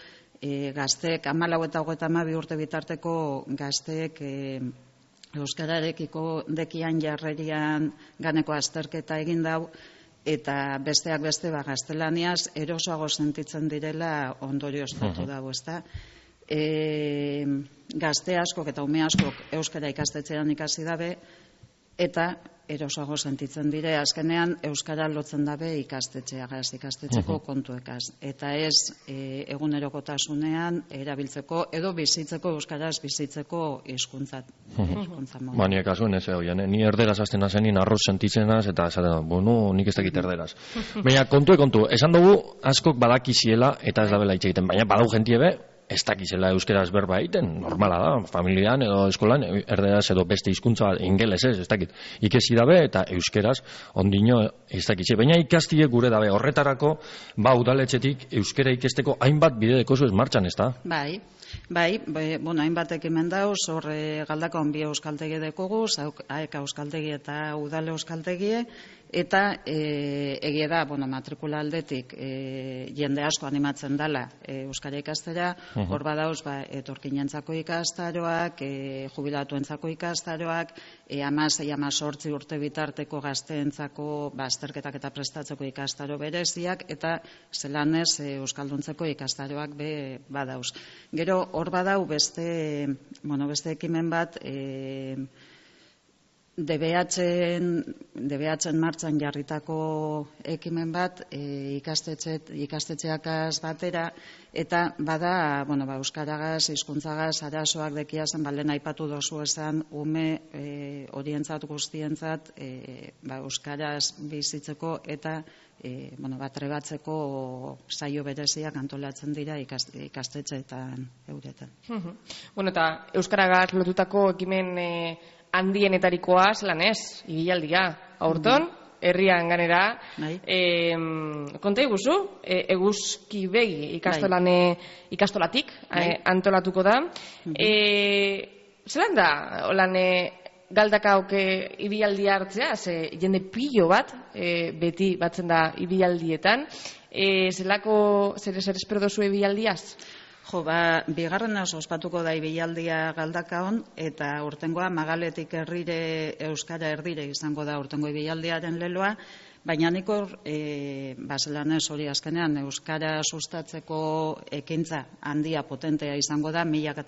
gazteek 14 eta 32 urte bitarteko gazteek euskararekiko dekian jarrerian ganeko azterketa egin dau, eta besteak beste gaztelaniaz erosoago sentitzen direla ondorioztatu dago, ezta? Gazte askok eta ume askok euskara ikastetxean ikasi dabe, eta erosago sentitzen dire, azkenean euskara lotzen dabe ikastetxeko kontuekaz. Eta ez egunerokotasunean erabiltzeko edo bizitzeko, euskaraz bizitzeko hizkuntza modu. Bani kasuen ez egoian, ni erderaz hasten nazen, ni arroz sentitzenaz, eta esaten, bueno, nik ez dakit erderaz. Baina kontu, esan dugu askok badakiziela eta ez dabela hitz egiten, baina badau jentie be, ez dakizela euskeraz berba egiten, normala da, familian edo eskolan, erderaz edo beste hizkuntza ingeles ez dakit. Ikesi dabe eta euskeraz ondino ez dakitze. Baina ikastie gure dabe, horretarako, udaletxetik euskera ikesteko hainbat bide dekozu ez martxan, ez da? Bai, hainbat ekimen dauz, Galdakaon bi euskaldegi dekogu, aeka euskaldegi eta udale euskaldegie, eta egia da, matrikula aldetik jende asko animatzen dela euskara ikastera, hor badauz, etorkinentzako ikastaroak, jubilatuentzako ikastaroak, 16-18 urte bitarteko gazteentzako azterketak eta prestatzeko ikastaro bereziak, eta zelanez euskalduntzeko ikastaroak badauz. Gero, hor badau beste ekimen bat, DBH-en martxan jarritako ekimen bat, ikastetxeakaz batera, eta bada, euskaragaz, hizkuntzagaz, arazoak dekiazen, lehen aipatu dozu esan, ume horientzat guztientzat, euskaraz bizitzeko eta trebatzeko saio bereziak antolatzen dira ikastetxeetan euretan. Eta euskaragaz lotutako ekimen handienetarikoa zelan ez, ibilaldia, aurton, herrian ganera, konta iguzu, eguzki begi ikastolatik antolatuko da. Zelan da, holan Galdakaok ibilaldia hartzea, jende pilo bat, beti batzen da ibialdietan, zer espero dozu ibialdiaz? Bigarren ospatuko da ibilaldia Galdakaon, eta urtengoa Magaletik herrire euskara erdire izango da urtengo ibilaldiaren leloa, baina nik hor, zelanez hori azkenean, euskara sustatzeko ekintza handia potentea izango da, milaka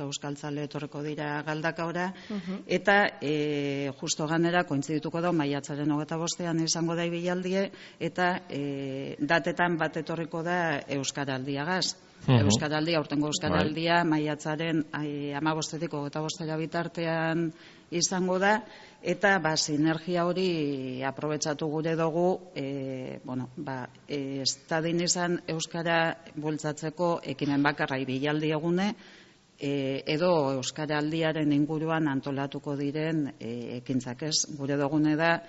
euskaltzale etorreko dira Galdakaora, eta justo ganera kointzidituko da, maiatzaren 25ean izango da ibialdie, eta datetan bat etorriko da euskaraldiagaz. Euskaraldia, urtengo euskaraldia, maiatzaren 15-etik 25 bitartean izango da, eta sinergia hori aprobetxatu gure dugu, estadin izan euskara bultzatzeko ekimen bakarra ibilaldi egune, edo euskaraldiaren inguruan antolatuko diren ekintzak ez. Gure dugune da,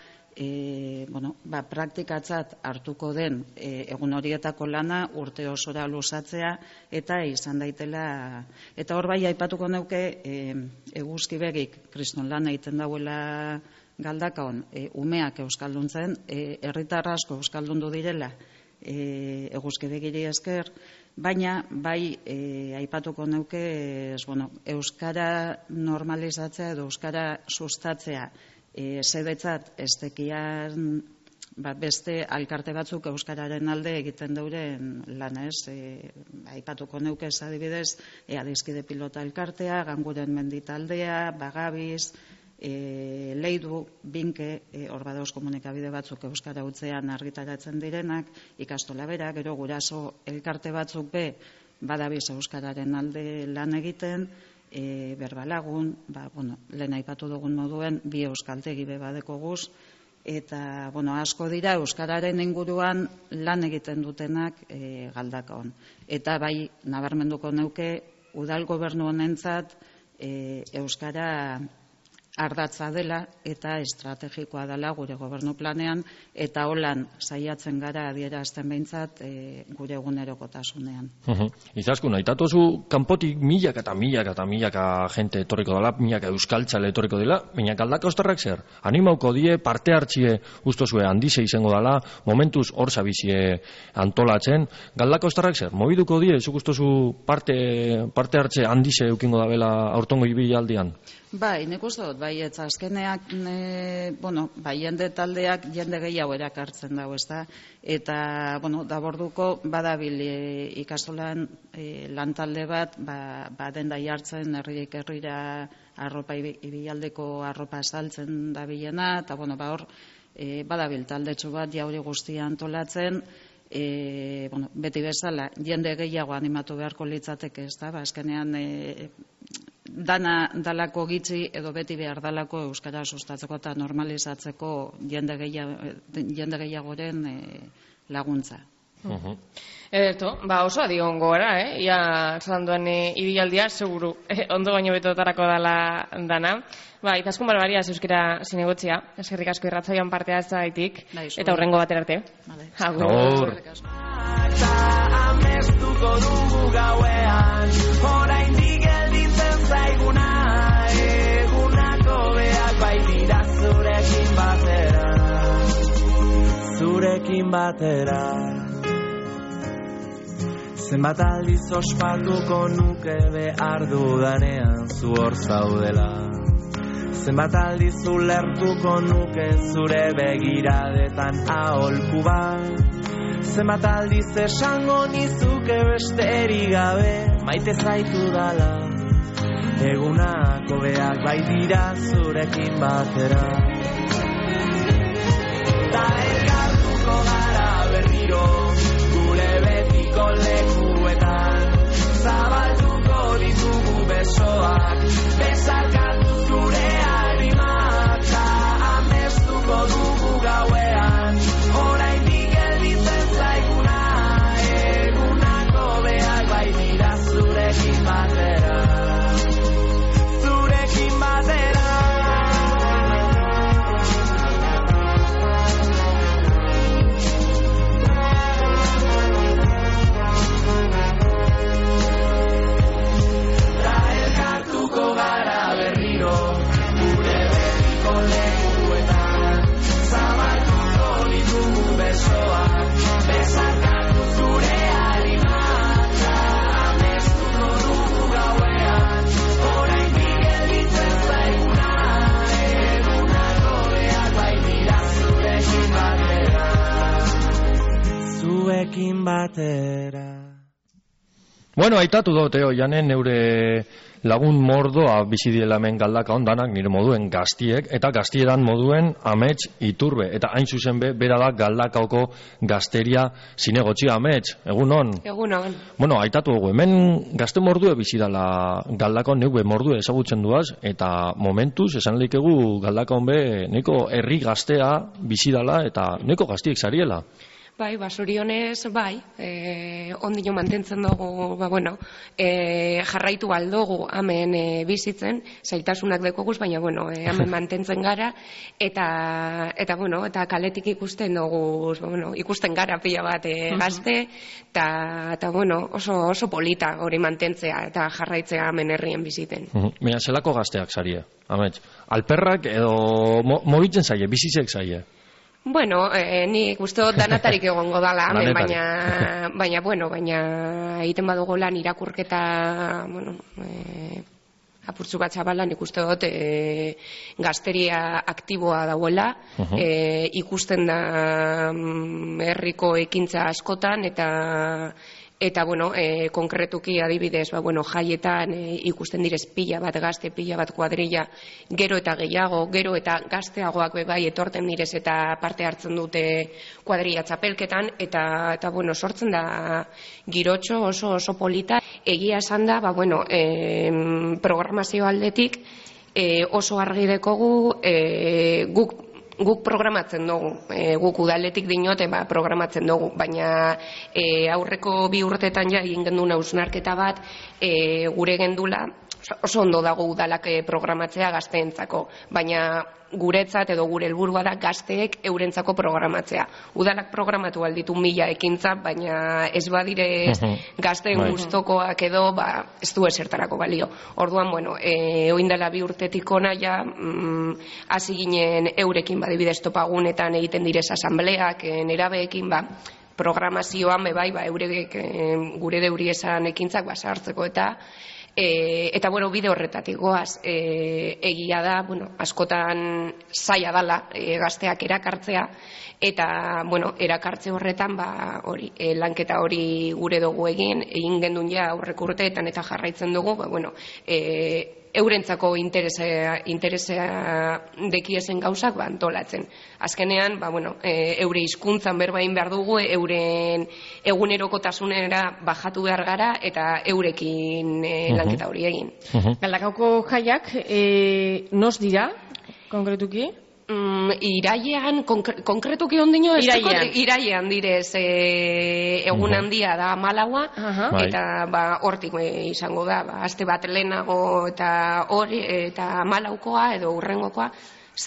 praktikatzat hartuko den egun horietako lana urte osora luzatzea eta izan daitela, eta hor bai aipatuko neuke eguzki begik kriston lan egiten dauela Galdakaon, umeak euskalduntzen, herritar asko euskaldundu direla eguzki begiri esker, baina bai aipatuko neuke euskara normalizatzea edo euskara sustatzea zebetzat estekian beste alkarte batzuk euskararen alde egiten dauren lana ez. Aipatuko neuke ez adibidez, Adiskide Pilota Elkartea, Ganguren Menditaldea, Bagabiz, Leidu, Binke, hor badauz komunikabide batzuk euskara hutzean argitaratzen direnak, ikastola bera, gero guraso elkarte batzuk badabiz euskararen alde lan egiten, Berbalagun, lehen aipatu dugun moduen, bi euskaldegi badeko guz, eta asko dira euskararen inguruan lan egiten dutenak Galdakaon. Eta bai nabarmenduko neuke udal gobernu honentzat euskara ardatza dela eta estrategikoa dela gure gobernu planean, eta holan saiatzen gara adierazten behintzat gure egunerokotasunean. Izaskun, aitatuzu kanpotik milaka jente etorriko dela, milaka euskaltzale etorriko dela, baina Galdakaostarrak zer? Animauko die, parte hartzie ustozue handize izango dela, momentuz hor zabizie antolatzen. Galdakaostarrak zer? Mobiduko die, zuk ustozu parte hartze handize eukingo da bela aurtongo ibilaldian? Nik uste dut, baietz, azkeneak, jende taldeak jende gehiago erakartzen dago, ezta? Eta, daborduko badabil ikastolan lan talde bat, denda jartzen herriek herrira arropa ibialdeko arropa saltzen dabilena, eta, hor, badabil taldetxo bat jauri guztia antolatzen, beti bezala, jende gehiago animatu beharko litzateke, ez da, azkenean dana dalako gitzi edo beti behar dalako euskara sustatzeko eta normalizatzeko jende gehiagoren laguntza. Ederto, oso adi ongo gara, ia zanduan ibilaldia, seguru, ondo baino betotarako dana. Itaskun barbaria euskera zinegotzia, eskerrik asko irratsaioan parte hartzaitik, eta hurrengo batera arte. Agur. Amestuko dugu gauean, oraindik gelditzen zaiguna, egunako beak baitira zurekin batera. Zenbat aldiz ospatuko nuke behar dudanean zu hor zaudela. Zenbat aldiz ulertuko nuke zure begiradetan aholku bat. Zenbat aldiz esango nizuke besterik gabe maite zaitu dala. Egunako beak baitira zurekin batera. Ta elkartuko gara berriro gure betiko lekuetan. Zabalduko ditugu besoak, besarkatu zure harimak. Ta amestuko dugu gauean, oraindik gelditzen zaiguna. Egunako beak baitira zurekin batera. Zurekin batera. Batera. Bueno, aitatu dote janen neure lagun mordoa bizi diela hemen Galdaka ondanak nire moduen gaztiek, eta gaztiedan moduen Amets Iturbe, eta hain zuzen bera da Galdakaoko gazteria zinegotxia. Amets, egunon? Egunon. Bueno, aitatu dugu, hemen gazte mordue bizi dela Galdaka, neue mordue ezagutzen duaz, eta momentuz, esan leikegu Galdaka honbe neko herri gaztea bizi dela, eta neko gaztiek zariela. Bai, sorionez, ondino mantentzen dugu, jarraitu aldogu hemen bizitzen, zailtasunak dekoguz, baina, hemen mantentzen gara, eta kaletik ikusten dugu, ikusten gara pila bat gazte, eta, oso polita hori mantentzea, eta jarraitzea hemen herrien biziten. Baina, zelako gazteak zarie, Amets? Alperrak edo mobitzen zaie, bizitzek zaie? Nik uste dut danatarik egongo dala, baina egiten badugu lan irakurketa, apurtzu bat zabalan ikuste dut gazteria aktiboa dauela, ikusten da herriko ekintza askotan, eta konkretuki adibidez, jaietan ikusten direz pila bat gazte, pila bat kuadrilla, gero eta gehiago, gero eta gazteagoak bebai etorten direz eta parte hartzen dute kuadrilla txapelketan, eta sortzen da girotxo oso polita. Egia esan da, programazio aldetik oso argi dekogu guk programatzen dugu, guk udaletik dinote programatzen dugu, baina aurreko 2 urtetan ja egin genduna hausnarketa bat gure gendula, oso ondo dago udalak programatzea gazteentzako, baina guretzat edo gure helburua da gazteek eurentzako programatzea. Udalak programatu alditu 1000 ekintza, baina ez badire gazteen gustokoak edo ez du esertarako balio. Orduan, oindala 2 urtetik ona ja hasi ginen eurekin badibidez topagunetan egiten direz asambleak, nerabeekin programazioan eurek gure deuri esan ekintzak sartzeko eta Eta, bueno, bide horretatik goaz, egia da, bueno, askotan zaila dala gazteak erakartzea, eta, bueno, erakartze horretan, hori, lanketa hori gure dugu egin gendun ja aurreko urteetan eta jarraitzen dugu, bueno, eurentzako interesa dekiezen gauzak antolatzen. Azkenean, bueno, eure hizkuntzan berbain behar dugu, euren egunerokotasunera bajatu behar gara eta eurekin lanketa hori egin. Galdakaoko jaiak, nos dira, konkretuki? Irailean, konkretuki ondino, irailean direz egun handia da 14, eta hortik izango da, aste bat lehenago eta hori, eta 14koa edo urrengokoa,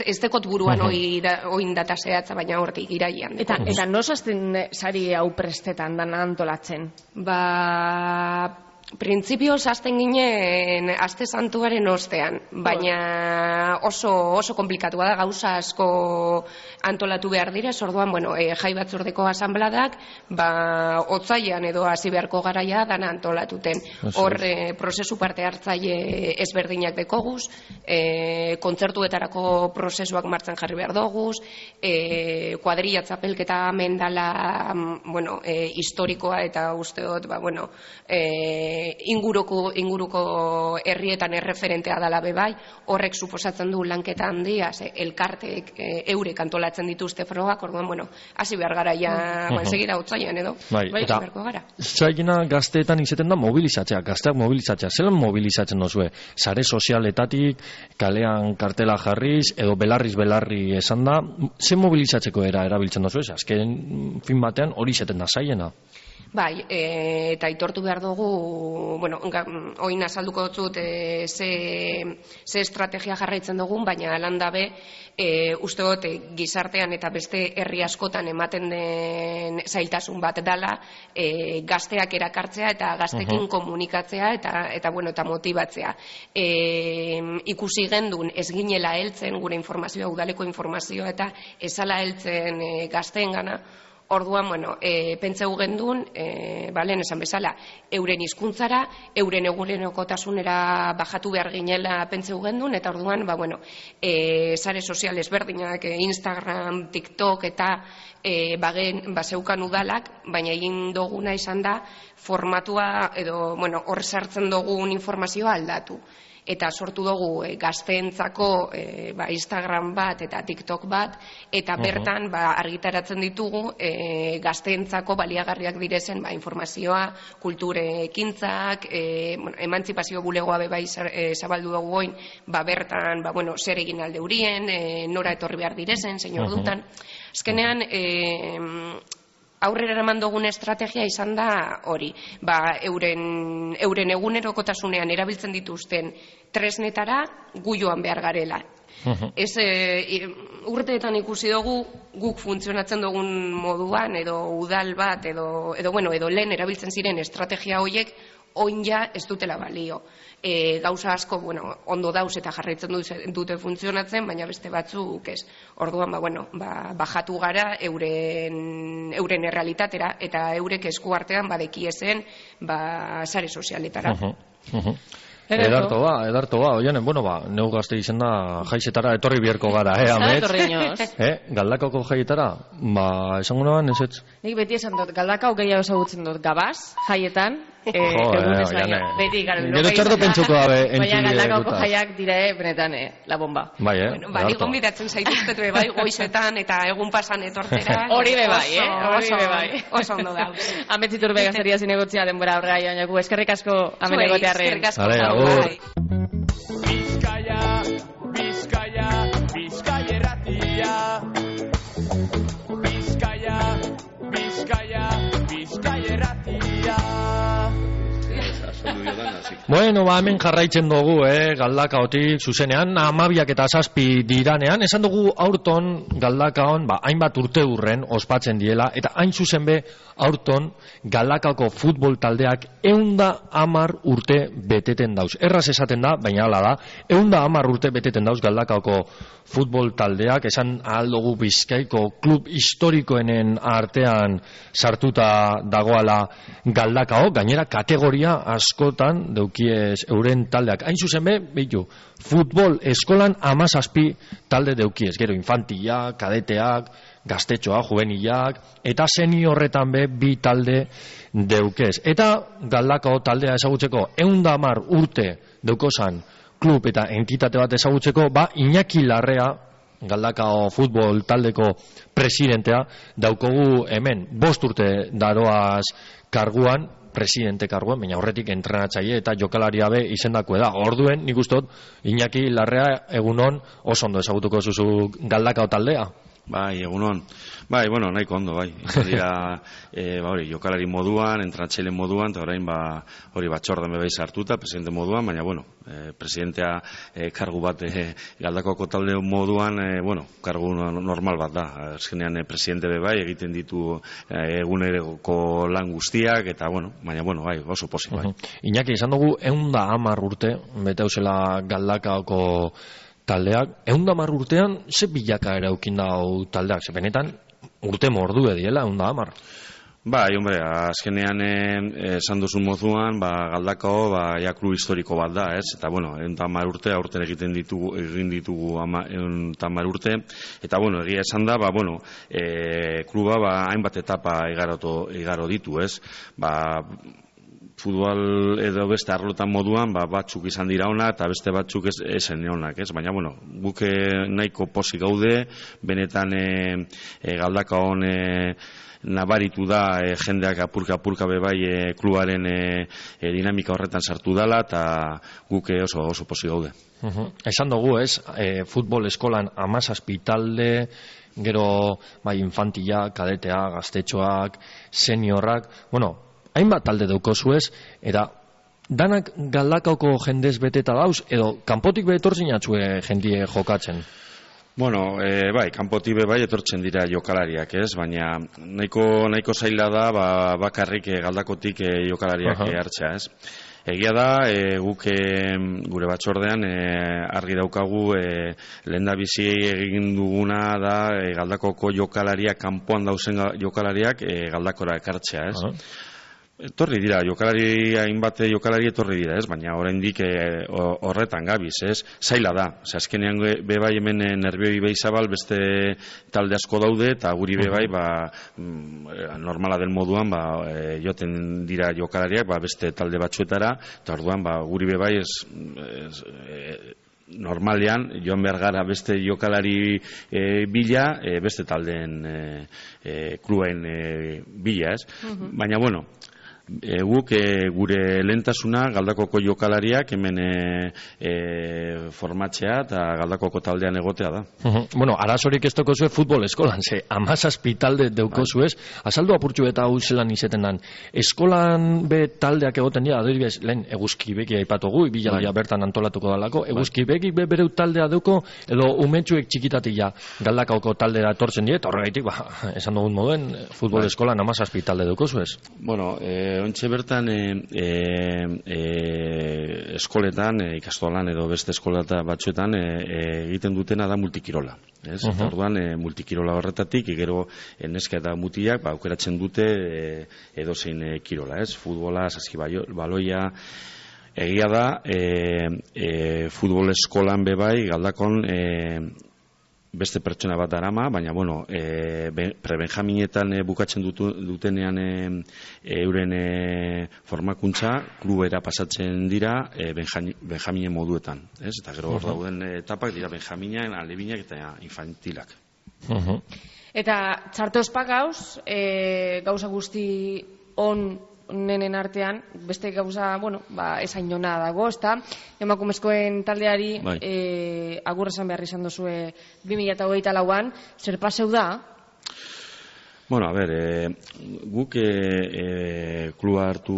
ez dekot buruan oin data zehatza, baina hortik irailean. Eta nos hasten sari hau prestetan dana antolatzen? Printzipioz hasten ginen aste santuaren ostean, baina oso komplikatua da, gauza asko antolatu behar dira, orduan, bueno, jai batzordeko asanbladak, otsailean edo hasi beharko garaia dana antolatuten. Hor, prozesu parte hartzaile ezberdinak dekoguz, kontzertuetarako prozesuak martxan jarri behar doguz, kuadrilla txapelketa mendala, bueno, historikoa eta usteot, bueno, inguruko herrietan erreferentea dala bebai, horrek suposatzen du lanketa handia, elkarteek eurek antolatzen dituzte frogak, orduan, bueno, hasi behar gara ja, segira otsailean edo, eta zailena gazteetan izaten da mobilizatzea, gazteak mobilizatzea, zelan mobilizatzen dozue? Sare sozialetatik, kalean kartela jarriz, edo belarriz esan da, ze mobilizatzeko erabiltzen dozue? Azken fin batean hori izaten da zailena. Bai, eta aitortu behar dugu, bueno, oin azalduko dut ze estrategia jarraitzen dugun, baina landabe, uste dut gizartean eta beste herri askotan ematen den zailtasun bat dala, gazteak erakartzea eta gaztekin komunikatzea eta motibatzea. Ikusi gendun ez ginela heltzen gure informazioa, udaleko informazioa eta ezala heltzen gazteen gana. Orduan, bueno, pentseu gendun, lehen esan bezala, euren hizkuntzara, euren egunerokotasunera bajatu behar ginela pentseu gendun, eta orduan, bueno, sare soziales berdinak, Instagram, TikTok eta zeukan udalak, baina egin duguna izan da, formatua edo, bueno, hor sartzen dugun informazioa aldatu. Eta sortu dugu gazteentzako Instagram bat eta TikTok bat, eta bertan argitaratzen ditugu gazteentzako baliagarriak direzen informazioa, kulture ekintzak, emantzipazio bulegoa bebai zabaldu dugu goin, bertan zer egin alde hurien, nora etorri behar direzen, zein ordutan. Azkenean, aurrera eraman dugun estrategia izan da hori, euren egunerokotasunean erabiltzen dituzten tresnetara gu joan behar garela. Urteetan ikusi dugu guk funtzionatzen dugun moduan edo udal bat edo lehen erabiltzen ziren estrategia horiek oin ja ez dutela balio. Gauza asko, ondo dauz eta jarraitzen dute funtzionatzen, baina beste batzuk ez. Orduan, bajatu gara euren errealitatera eta eurek eskuartean badekiezen sare sozialetara. Edarto ba, oianen, neu gazte izen da jaizetara etorri bierko gara, amets? Galdakako jaietara? Esango naban, ez ez? Nik beti esan dut, galdakao gehiago ezagutzen dut, gabaz, jaietan, Gero txardo pentsuko dabe baina galdakako jaiak dire, benetan, la bomba. Nik gonbidatzen zaituztetu bai goizetan eta egun pasan etortera. Hori be bai, oso ondo da. Ametzitur begazeria zinegotzia denbora aurrera joan jaku, eskerrik asko amenegotearren. Eskerrik asko. Bizkaia erratia. Bizkaia erratia. Bueno, hemen jarraitzen dugu, Galdakaotik zuzenean, 12:07 diranean, esan dugu aurton Galdakaon, hainbat urte urren ospatzen diela, eta hain zuzen be, aurton Galdakaoko futbol taldeak 110 urte beteten dauz. Erraz esaten da, baina hala da, 110 urte beteten dauz Galdakaoko futbol taldeak, esan ahal dugu Bizkaiko klub historikoenen artean sartuta dagoala Galdakao, gainera kategoria askotan deukiez euren taldeak. Hain zuzen behitu, futbol eskolan 17 talde deukiez. Gero, infantilak, kadeteak, gaztetxoak, juvenilak, eta seniorretan 2 talde deukez. Eta Galdakao taldea ezagutzeko 110 urte deukozan klub eta entitate bat ezagutzeko, Iñaki Larrea, Galdakao futbol taldeko presidentea, daukogu hemen 5 urte daroaz karguan, presidente karguan, baina horretik entrenatzaile eta jokalaria be izendako da. Orduen, nik ustot, Iñaki Larrea egunon oso ondo ezagutuko zuzu Galdakao taldea. Bai, egunon. Bai, bueno, nahiko ondo, bai. Dira, jokalari moduan, entrenatzaile moduan, eta orain, hori batzordan bebeiz hartuta, presidente moduan, baina, bueno, presidentea kargu bat Galdakaoko talde moduan, kargu normal bat da. Azkenean, presidente bebai egiten ditu eguneroko lan guztiak, eta, baina, bai, oso pozik, bai. Iñaki, izan dugu, 110 urte, bete hausela Galdakaoko taldeak, 110 urtean, ze bilaka eraukin dau taldeak, ze benetan, urte mordu ediela, 110. Bai, hombre, azkenean esan duzun mozuan, Galdakao, klub historiko bat da, ez? Eta, 110 urte, aurten egin ditugu 110 urte, eta, egia esan da, kluba, hainbat etapa igaro ditu, ez? Futbol edo beste arlotan moduan, batzuk izan dira ona eta beste batzuk esen onak, ez? Baina, guk nahiko pozik gaude, benetan Galdakaon nabaritu da jendeak apurka bebai klubaren dinamika horretan sartu dela eta guk oso pozik gaude. Esan dugu, ez? Futbol eskolan 17 talde, gero infantilak, kadeteak, gaztetxoak, seniorrak, hainbat talde daukozu ez, eta danak Galdakaoko jendez beteta dauz, edo kanpotik betortzen jatzue jendie jokatzen? Bai, kanpotik bai etortzen dira jokalariak, ez? Baina nahiko zaila da bakarrik Galdakotik jokalariak hartzea, ez? Egia da, guk gure batzordean argi daukagu lehendabizi egin duguna da Galdakoko jokalariak, kanpoan dauzen jokalariak Galdakora ekartzea, ez? Etorri dira, hainbat jokalari etorri dira, ez? Baina oraindik horretan gabiz, ez? Zaila da, azkenean bebai hemen nerbioi behizabal beste talde asko daude, eta guri bebai normala den moduan joten dira jokalariak beste talde batzuetara, eta orduan guri bebai normalean joan behar gara beste jokalari bila, beste taldeen kluben bila, ez? Baina, guk gure lehentasuna Galdakoko jokalariak hemen formatzea eta Galdakoko taldean egotea da. Arazorik ez dokozue futbol eskolan, ze 17 talde deukozu ez, azaldu apurtxu eta hau zelan izaten dan. Eskolan be taldeak egoten dira, adibidez, lehen eguzki beki aipatugu, ibilaldia bertan antolatuko dalako, eguzki beki bereu taldea deuko, edo umetxuek txikitatik Galdakaoko taldea etortzen dira, eta horregaitik, esan dugun moduen, futbol eskolan 17 talde deukozu ez. Ontxe bertan eskoletan, ikastolan edo beste eskolata batzuetan egiten dutena da multikirola. Eta orduan multikirola horretatik, gero neska eta mutiak aukeratzen dute edozein kirola. Futbola, saskibaloia, egia da, futbol eskolan bebai Galdakon beste pertsona bat darama, baina, prebenjaminetan bukatzen dutenean euren formakuntza, klubera pasatzen dira benjaminen moduetan. Eta gero hor dauden etapak dira benjaminak, alebinak eta infantilak. Eta txarto ospagauz, gauza guzti nenen artean, beste gauza, esain jona dago, ezta? Emakumezkoen taldeari agur esan behar izan duzue 2024an, zer paseu da? Guk kluba hartu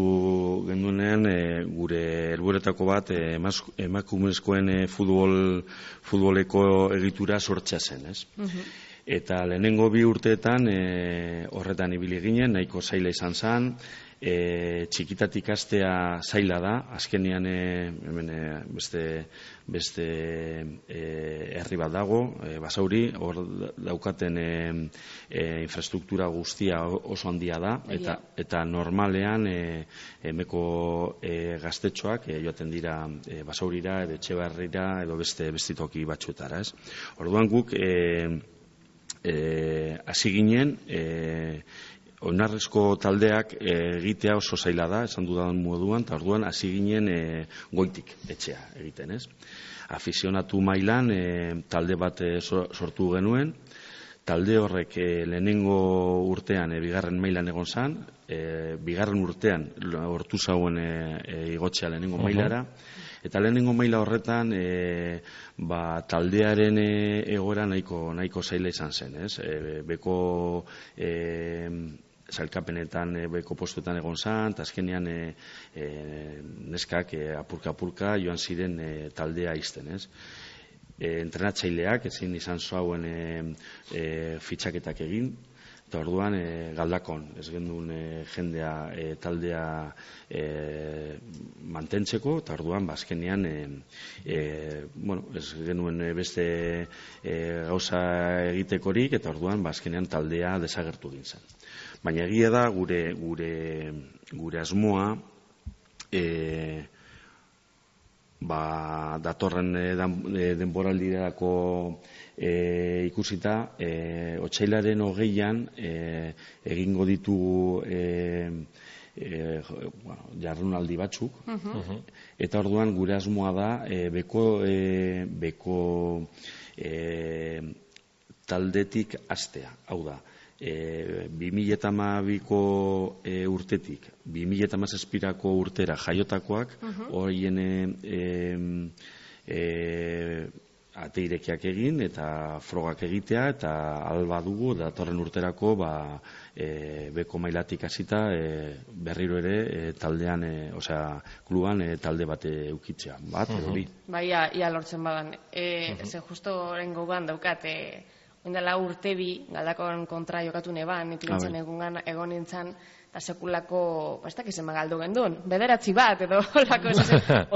genduenean gure helburetako bat emakumezkoen futboleko egitura sortzea zen, ez? Eta lehenengo 2 urteetan horretan ibili ginen, nahiko zaila izan zen, txikitatik hastea zaila da, azkenean hemen beste herri bat dago, Basauri, hor daukaten infrastruktura guztia oso handia da, eta normalean hemeko gaztetxoak joaten dira Basaurira, edo Etxebarrira, edo beste toki batzuetara, ez? Orduan guk hasi ginen, oinarrizko taldeak egitea oso zaila da, esan dudan moduan, eta orduan hasi ginen goitik etxea egiten, ez? Afizionatu mailan talde bat sortu genuen, talde horrek lehenengo urtean bigarren mailan egon zan, bigarren urtean hortu zauen igotzea lehenengo mailara, eta lehenengo maila horretan taldearen egoera nahiko zaila izan zen, ez? Beko sailkapenetan beko postuetan egon zan, eta azkenean neskak apurka joan ziren taldea izten, ez? Entrenatzaileak ezin izan zauen fitxaketak egin, eta orduan Galdakon ez gendun jendea taldea mantentzeko, eta orduan azkenean ez genuen beste gauza egitekorik, eta orduan azkenean taldea desagertu gintzen. Baina egia da gure asmoa datorren denboraldirako ikusita, otsailaren 20an egingo ditugu jardunaldi batzuk, eta orduan gure asmoa da beko taldetik hastea, hau da, 2012ko urtetik 2017ko urtera jaiotakoak horien ate irekiak egin eta frogak egitea, eta alba dugu datorren urterako beko mailatik hasita berriro ere taldean, kluban talde bat eukitzea, bat edo bi. Bai, ia lortzen badan. Ze justo orain gogoan daukat, oindala urte bi, Galdakon kontra jokatu neban, ikilintzen egon nintzen, eta sekulako, ez dakizen magaldu gendun, 9 bat, edo olako,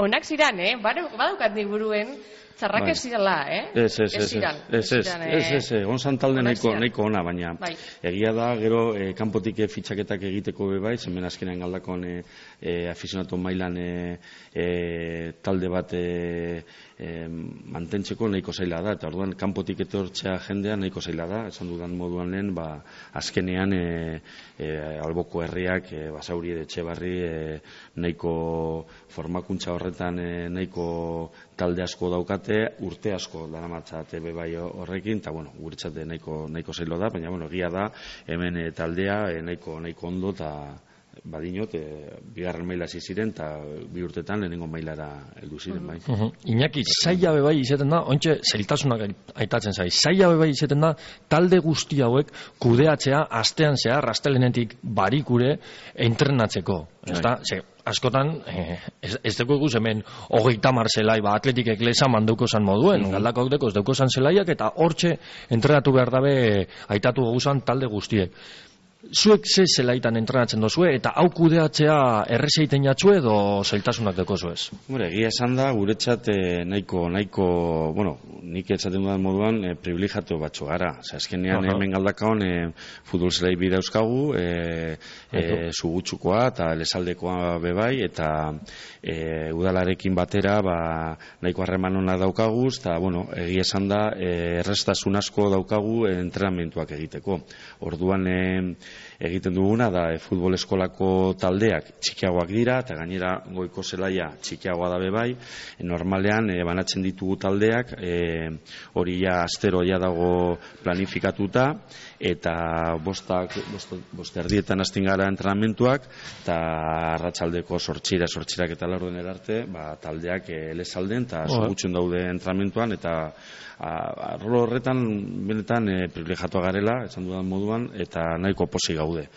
onak ziran, badaukat nik buruen, txarrak ez zirala, Ez, gonzan talde nahiko ona, baina egia da, gero, kanpotik fitxaketak egiteko bebai, zemen azkenean Galdakon afizionatu mailan talde bat mantentzeko nahiko zaila da, eta orduan kanpotik etortzea jendea nahiko zaila da, esan dudan moduan lehen, azkenean alboko herriak, Basauri edo Etxebarri, nahiko formakuntza horretan nahiko talde asko daukate, urte asko daramatzate bebai horrekin, eta guretzate nahiko zailo da, baina egia da, hemen taldea nahiko ondo, eta badinot, bigarren maila ziren, eta 2 urtetan lehenengo mailara heldu ziren, bai. Iñaki, zaila bebai izaten da, ontxe zailtasunak aitatzen zai, zaila bebai izaten da, talde guzti hauek kudeatzea astean zehar, astelenetik barikure entrenatzeko. Askotan, ez dugu eguz hemen 30 zelai, atletik eklesa mandauko zan moduen, Galdakaok deko ez dauko zan zelaiak, eta hortxe entrenatu behar dabe aitatu goguzan talde guztiek. Zuek ze zelaitan entrenatzen dozue, eta hau kudeatzea errezeiten jatzue edo zailtasunak deko zuez? Egia esan da, guretzat nahiko, nik etzaten dudan moduan privilegiatu batzu gara. Azkenean hemen Galdakaon futbol zelai bi dauzkagu, Zugutxukoa eta Lesaldekoa bebai, eta udalarekin batera nahiko harreman ona daukaguz, eta egia esan da, errestasun asko daukagu entrenamentuak egiteko. Orduan egiten duguna da futbol eskolako taldeak txikiagoak dira, eta gainera goiko zelaia txikiagoa da bebai, normalean banatzen ditugu taldeak, hori astero dago planifikatuta, eta bosterdietan hasten gara entrenamentuak, eta arratsaldeko sortxirak eta laurden erarte, taldeak Lesalden eta Zugutxun daude entrenamentuan, eta arlo horretan benetan privilegiatua garela, esan dudan moduan, eta nahiko posi gaude.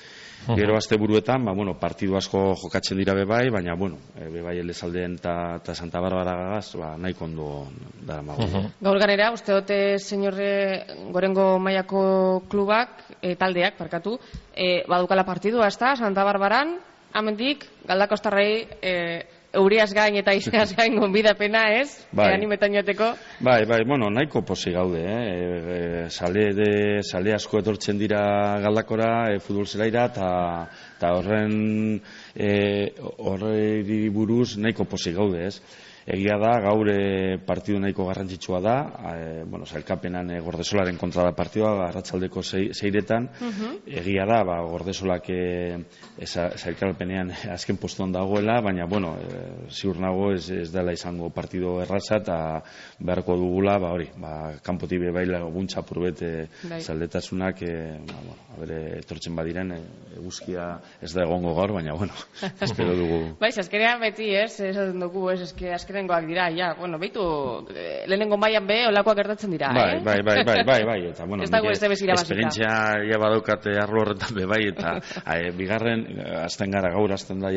Gero asteburuetan, partidu asko jokatzen dira bebai, baina, bebai Lesalden eta Santa Barbara gagaz, nahiko ondo dara mago. Gaur ganera, uste dote, señorre, gorengo mailako klubak, taldeak, badukala partidua, ez da, Santa Barbaran, amendik, Galdakostarrei euriaz gain eta izeaz gain gonbidapena, ez? Bai. Animetan joateko. Bai, bueno, nahiko posi gaude, sale asko etortzen dira Galdakora, futbol zelaira, eta horri buruz nahiko posi gaude, ez? Egia da, gaur partidu nahiko garrantzitsua da, sailkapenan Gordesolaren kontra da partidua, arratsaldeko 6etan, egia da, Gordesolak sailkapenean azken postuan dagoela, baina, ziur nago ez dela izango partidu erraza, eta beharko dugula, kanpotik bebaila guntza purbet zaldetasunak, etortzen badiren, eguzkia ez da egongo gaur, baina, espero dugu. Bai, azkenean beti, esaten dugu, azkenengoak dira, behitu, lehenengo mailan olakoak gertatzen dira, Bai, eta, esperientzia ja badaukate arlo horretan bai, eta bigarren, azten gara gaur, azten da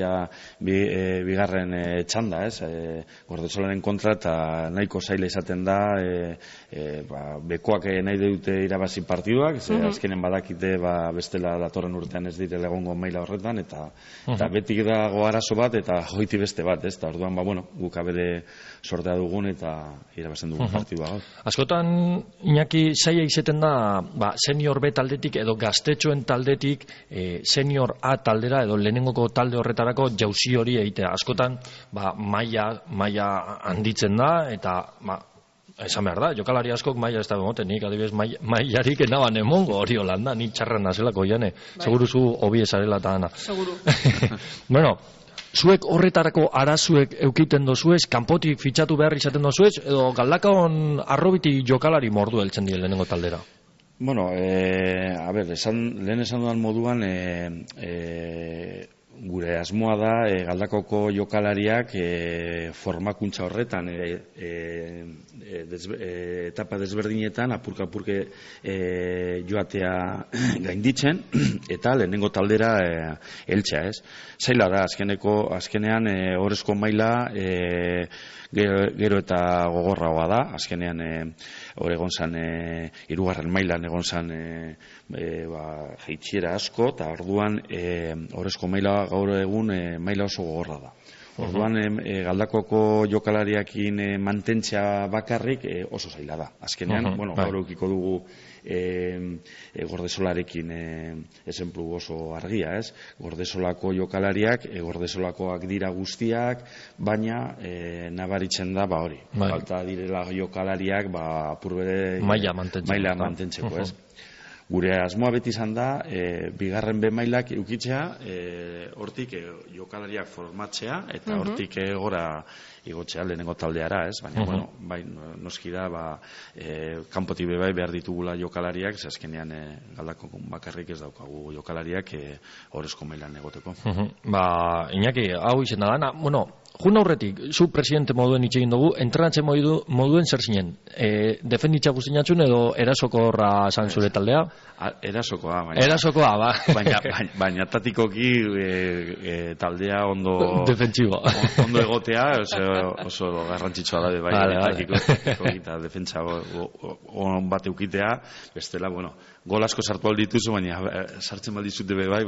bigarren txanda, Gordesolaren kontra, eta nahiko zaila izaten da, bekoak nahi dute irabazi partiduak, azkenen badakite, bestela datorren urtean ez direla egongo maila horretan, eta betik dago arazo bat, eta joiti beste bat, eta orduan, guk abere sortea dugun eta irabazten dugun partidua gaur. Askotan, Iñaki, zaila izaten da, senior B taldetik edo gaztetxoen taldetik senior A taldera edo lehenengoko talde horretarako jauzi hori egitea. Askotan, maila handitzen da, eta esan behar da, jokalari askok maila ez da bemoten, nik adibidez mailarik enaban emongo hori holanda, ni txarran nazelako jane, seguru zu hobi esarela eta ana. Seguru. Zuek horretarako arazuek eukiten dozuez, kanpotik fitxatu behar izaten dozuez, edo Galdakaon arrobiti jokalari mordu heltzen dien lehenengo taldera? Lehen esan dudan moduan, gure asmoa da Galdakoko jokalariak formakuntza horretan etapa desberdinetan apurka-apurke joatea gainditzen eta lehenengo taldera heltzea, ez? Zaila da, azkenean orezko maila gero eta gogorragoa da, azkenean hor egon zan hirugarren mailan egon zan jaitxiera asko, eta orduan orezko maila gaur egun maila oso gogorra da. Orduan Galdakoko jokalariakin mantentzea bakarrik oso zaila da. Azkenean, gaur eukiko dugu Gordesolarekin esenplu oso argia, ez? Gordesolako jokalariak, Gordesolakoak dira guztiak, baina nabaritzen da, hori. Falta direla jokalariak, apurbere maila mantentzeko, ez? Gure asmoa beti izan da, bigarren B mailak eukitzea, hortik jokalariak formatzea, eta hortik gora igotzea lehenengo taldeara, ez? Baina, noski da, kanpotik bebai behar ditugula jokalariak, azkenean Galdako bakarrik ez daukagu jokalariak horrezko mailan egoteko. Iñaki, hau izen da dana, jun aurretik, zu presidente moduen itxegin dugu, entrenatzen moduen zer zinen? Defenditza guztinatzun edo erasokorra zan zure taldea? Erasokoa, baina tatikoki taldea ondo defentsiboa. Ondo egotea, oso garrantzitsua da eta defentsa on bat eukitea, bestela, gol asko sartu aldituzu, baina sartzen baldizute bai.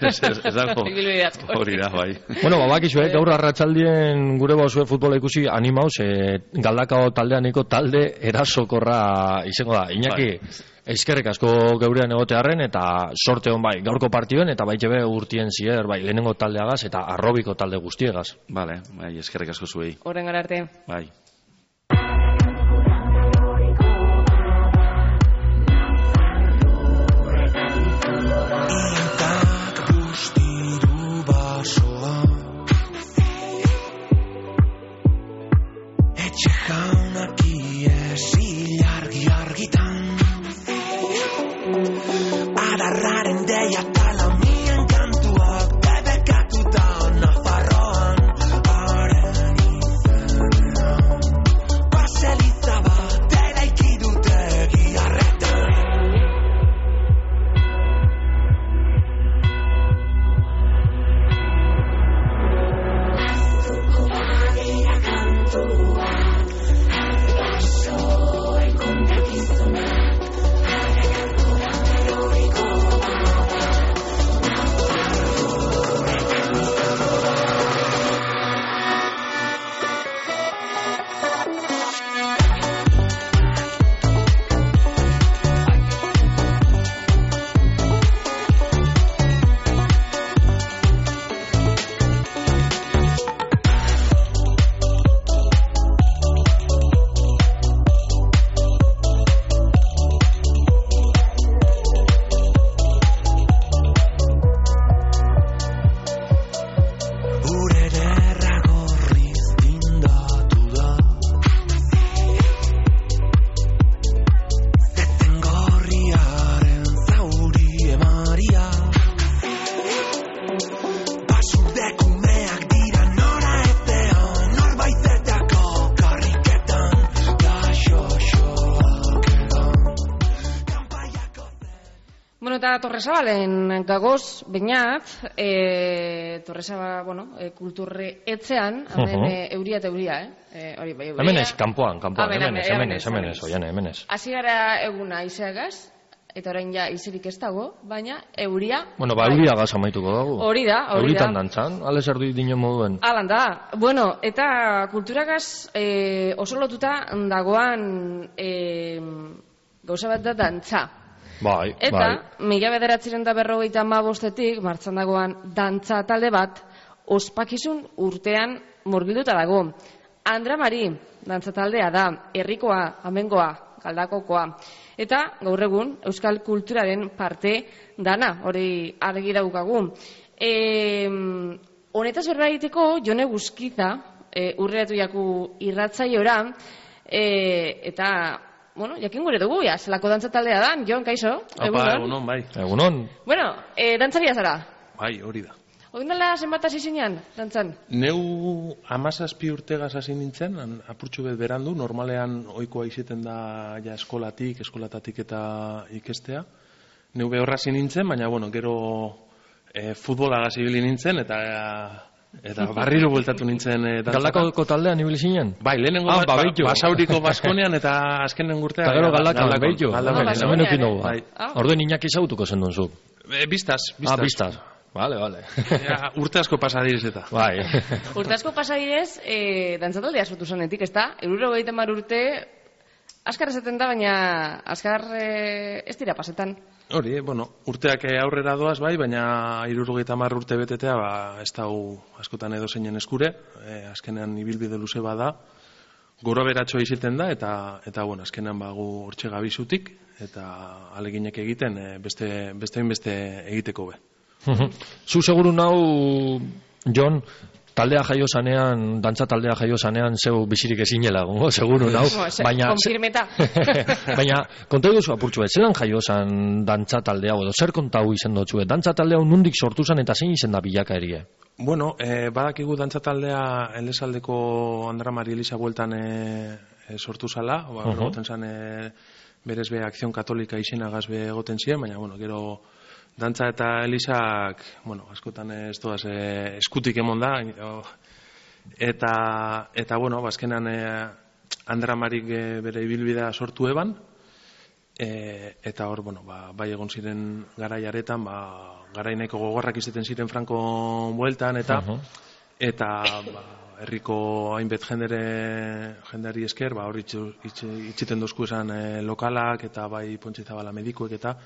Ez dago hori da, bai. Bakizue, gaur arratsaldien gure bauzue futbola ikusi animauz, Galdakao taldeaneko talde erasokorra izango da. Iñaki, eskerrik asko geurean egotearren eta sorte hon gaurko partiduen eta baitxe urtien zier, lehenengo taldeagaz eta arrobiko talde guztiegaz. Bale, eskerrik asko zuei. Horren gara arte. Bai. Adarraren deia talamien kantuak debekatuta Nafarroan haren izena eta Torresabalen gagoz, bainat, Torresabal, kulturre etzean, hemen euria eta euria, hori bai, euria. Hemen ez, kanpoan, hemen ez, oian, hemen ez. Hasi gara eguna izeagaz, eta orain ja izirik ez dago, baina euria... Bueno, euria gaz amaituko dago. Hori da. Euritan dantzan, ales erdu dino moduen. Alan da. Bueno, eta kulturagaz oso lotuta dagoan gauza bat da dantza. Bai. Eta, 1995 martxan dagoan dantza talde bat, ospakizun urtean murgilduta dago. Andra Mari, dantza taldea da, herrikoa, amengoa, galdakokoa. Eta, gaur egun, euskal kulturaren parte dana, hori argi daukagu. Honetaz berra egiteko, Jone Guzkiza, urreratu jaku irratzaiora, eta, jakin gure dugu, zelako dantza taldea da, Jon, kaixo? Egunon, bai. Egunon. Bueno, dantzaria zara? Bai, hori da. Oin dela zenbat hasi zinean, dantzan? Neu 17 urtegaz hasi nintzen, apurtxu bet berandu, normalean ohikoa izaten da ja eskolatatik eta ikestea. Neu behorra hasi nintzen, baina, gero futbolagaz ibili nintzen, eta barriro bueltatu nintzen dantzaka. Galdakoko taldean ibili zinen? Bai, lehenengo Basauriko Baskonean eta azkenen urtea. Eta gero Galdakon, behitu. Orduen Iñaki zautuko zen dunzuk. Biztaz. Biztaz. Vale. Urte asko pasadirez eta. Bai. Urte asko pasadirez, dantzataldea sortu zanetik, ez da? 70 urte, askar esaten da, baina askar ez dira pasetan. Hori, urteak aurrera doaz bai, baina 70 urte betetea, ez da askotan edo zeinen eskure, azkenean ibilbide luze bada, gora beratxoa izaten da, eta azkenean gu hortxe gabizutik, eta aleginek egiten beste egiteko be. Zu seguru nau, Jon, taldea jaio zanean, dantza taldea jaio zanean, zeu bizirik ezinela, seguru nau. Konfirmeta. Baina, konta duzu apurtxu, zelan jaio zan dantza taldea, edo zer kontau izen dutzu, dantza taldea nundik sortu zan eta zein izen da bilaka erie? Badakigu dantza taldea Elesaldeko Andra Mari Elisa bueltan sortu zala, egoten zan berez be Akzion Katolika izenagaz be egoten ziren, baina, gero dantza eta Elisak, askotan ez doaz eskutik emon da, eta azkenan Andra Marik bere ibilbidea sortu eban, eta hor, bai egon ziren garaiaretan, garaineko gogorrak izaten ziren Franko bueltan, eta herriko hainbet jendeari esker, hor itxiten dozku esan lokalak, eta bai Pontxe Zabala medikuek, eta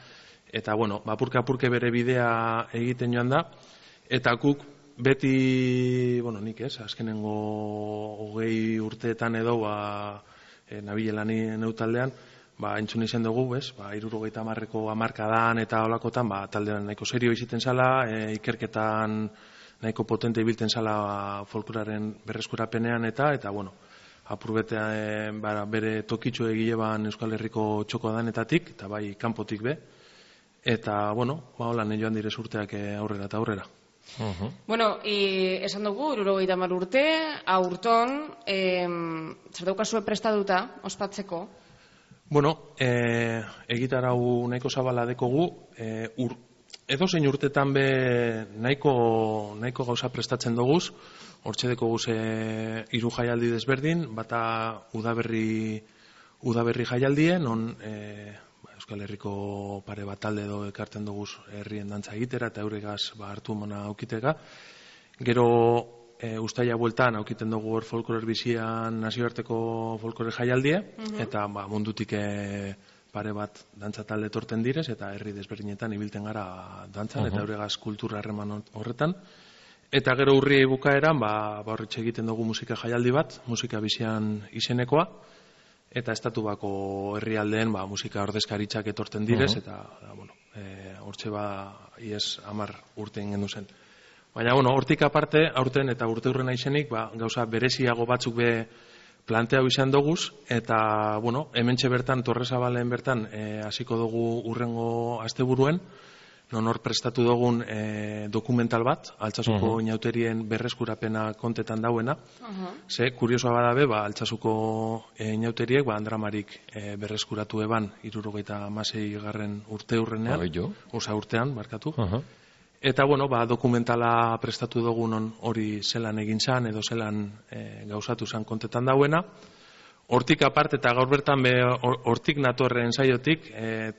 apurke bere bidea egiten joan da, eta guk beti, nik ez, azkenengo 20 urteetan edo, nabilelan neutaldean, entzun izan dugu, 70ko hamarkadan eta holakotan, taldean nahiko serio izaten zala, ikerketan nahiko potente ibilten zala folkloraren berreskurapenean, eta apurbetean bere tokitxo egileban Euskal Herriko txoko danetatik, eta bai kanpotik be, eta, holan joan direz urteak aurrera eta aurrera. Esan dugu, 70 urte, aurton, zer daukazue prestaduta, ospatzeko? Egitarau nahiko zabala dekogu, edo zein urtetan be nahiko gauza prestatzen doguz, hortxe dekoguz 3 jaialdi desberdin, bata udaberri jaialdien, non Euskal Herriko pare bat talde edo ekartzen duguz herrien dantza egitera eta euregaz hartu mona aukitega. Gero ustaia bueltan aukiten dugu hor folklore bizian nazioarteko folklore jaialdie, eta mundutik pare bat dantza talde torten direz, eta herri desberdinetan ibilten gara dantzan, eta euregaz kultura harreman horretan. Eta gero urri bukaeran, horretxe egiten dugu musika jaialdi bat, musika bizian izenekoa, eta estatu bako herrialdeen musika ordezkaritzak etorten direz, eta hortxe ies 10 urte ingen zen. Baina, hortik aparte, aurten eta urte hurrena izenik, gauza bereziago batzuk be planteau izan doguz, eta, hementxe bertan, Torresabalen bertan, hasiko dugu urrengo asteburuen, non hor prestatu dugun dokumental bat, Altsasuko inauterien berreskurapena kontetan dauena. Ze, kuriosoa badabe, Altsasuko inauteriek Andramarik berreskuratu eban 76. urte hurrenean, urtean, barkatu. Eta, dokumentala prestatu dugun hori zelan egin zan, edo zelan gauzatu zan kontetan dauena. Hortik aparte eta gaur bertan hortik natorren saiotik,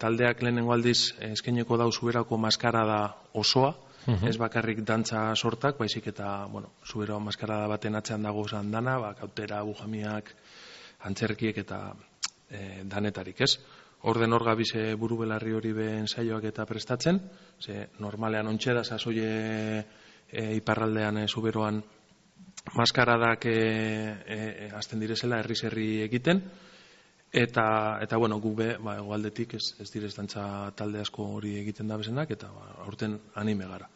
taldeak lehenengo aldiz eskaineko dau Zuberako maskarada osoa, ez bakarrik dantza sortak, baizik eta, Zuberako maskarada baten atzean dago zan dana, kautera, bujamiak, antzerkiek eta danetarik, ez? Orden hor gabize buru belarri hori behen saioak eta prestatzen, ze normalean ontxe da sasoie iparraldean Zuberoan maskaradak azten direzela herri egiten, eta gu be, egoaldetik ez direz dantza talde asko hori egiten da bezenak, eta aurten anime gara.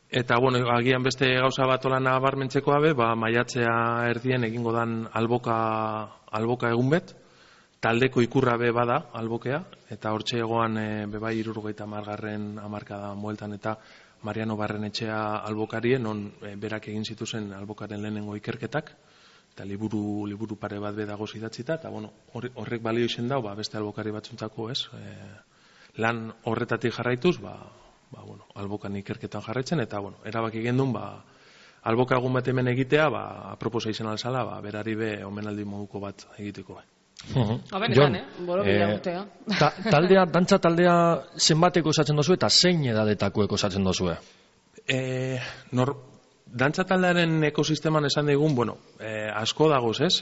Eta, agian beste gauza bat olan nabarmentzekoa be, maiatzea erdien egingo dan alboka egun bet, taldeko ikurra be bada albokea, eta hortxe egoan bebai 70. hamarkadan bueltan eta Mariano Barrenetxea albokarie, non berak egin zituzen albokaren lehenengo ikerketak, eta liburu pare bat bedago idatzita, eta horrek balio izen dau, beste albokari batzuntako, ez? Lan horretatik jarraituz, albokan ikerketan jarraitzen, eta erabaki gendun, alboka egun bat hemen egitea, aproposa izan alzala, berari be omenaldi moduko bat egiteko. Jon, dantza taldea zenbateko osatzen dozu eta zein edadetakoeko osatzen dozue? Dantza taldearen ekosisteman esan digun, asko dagoz, ez?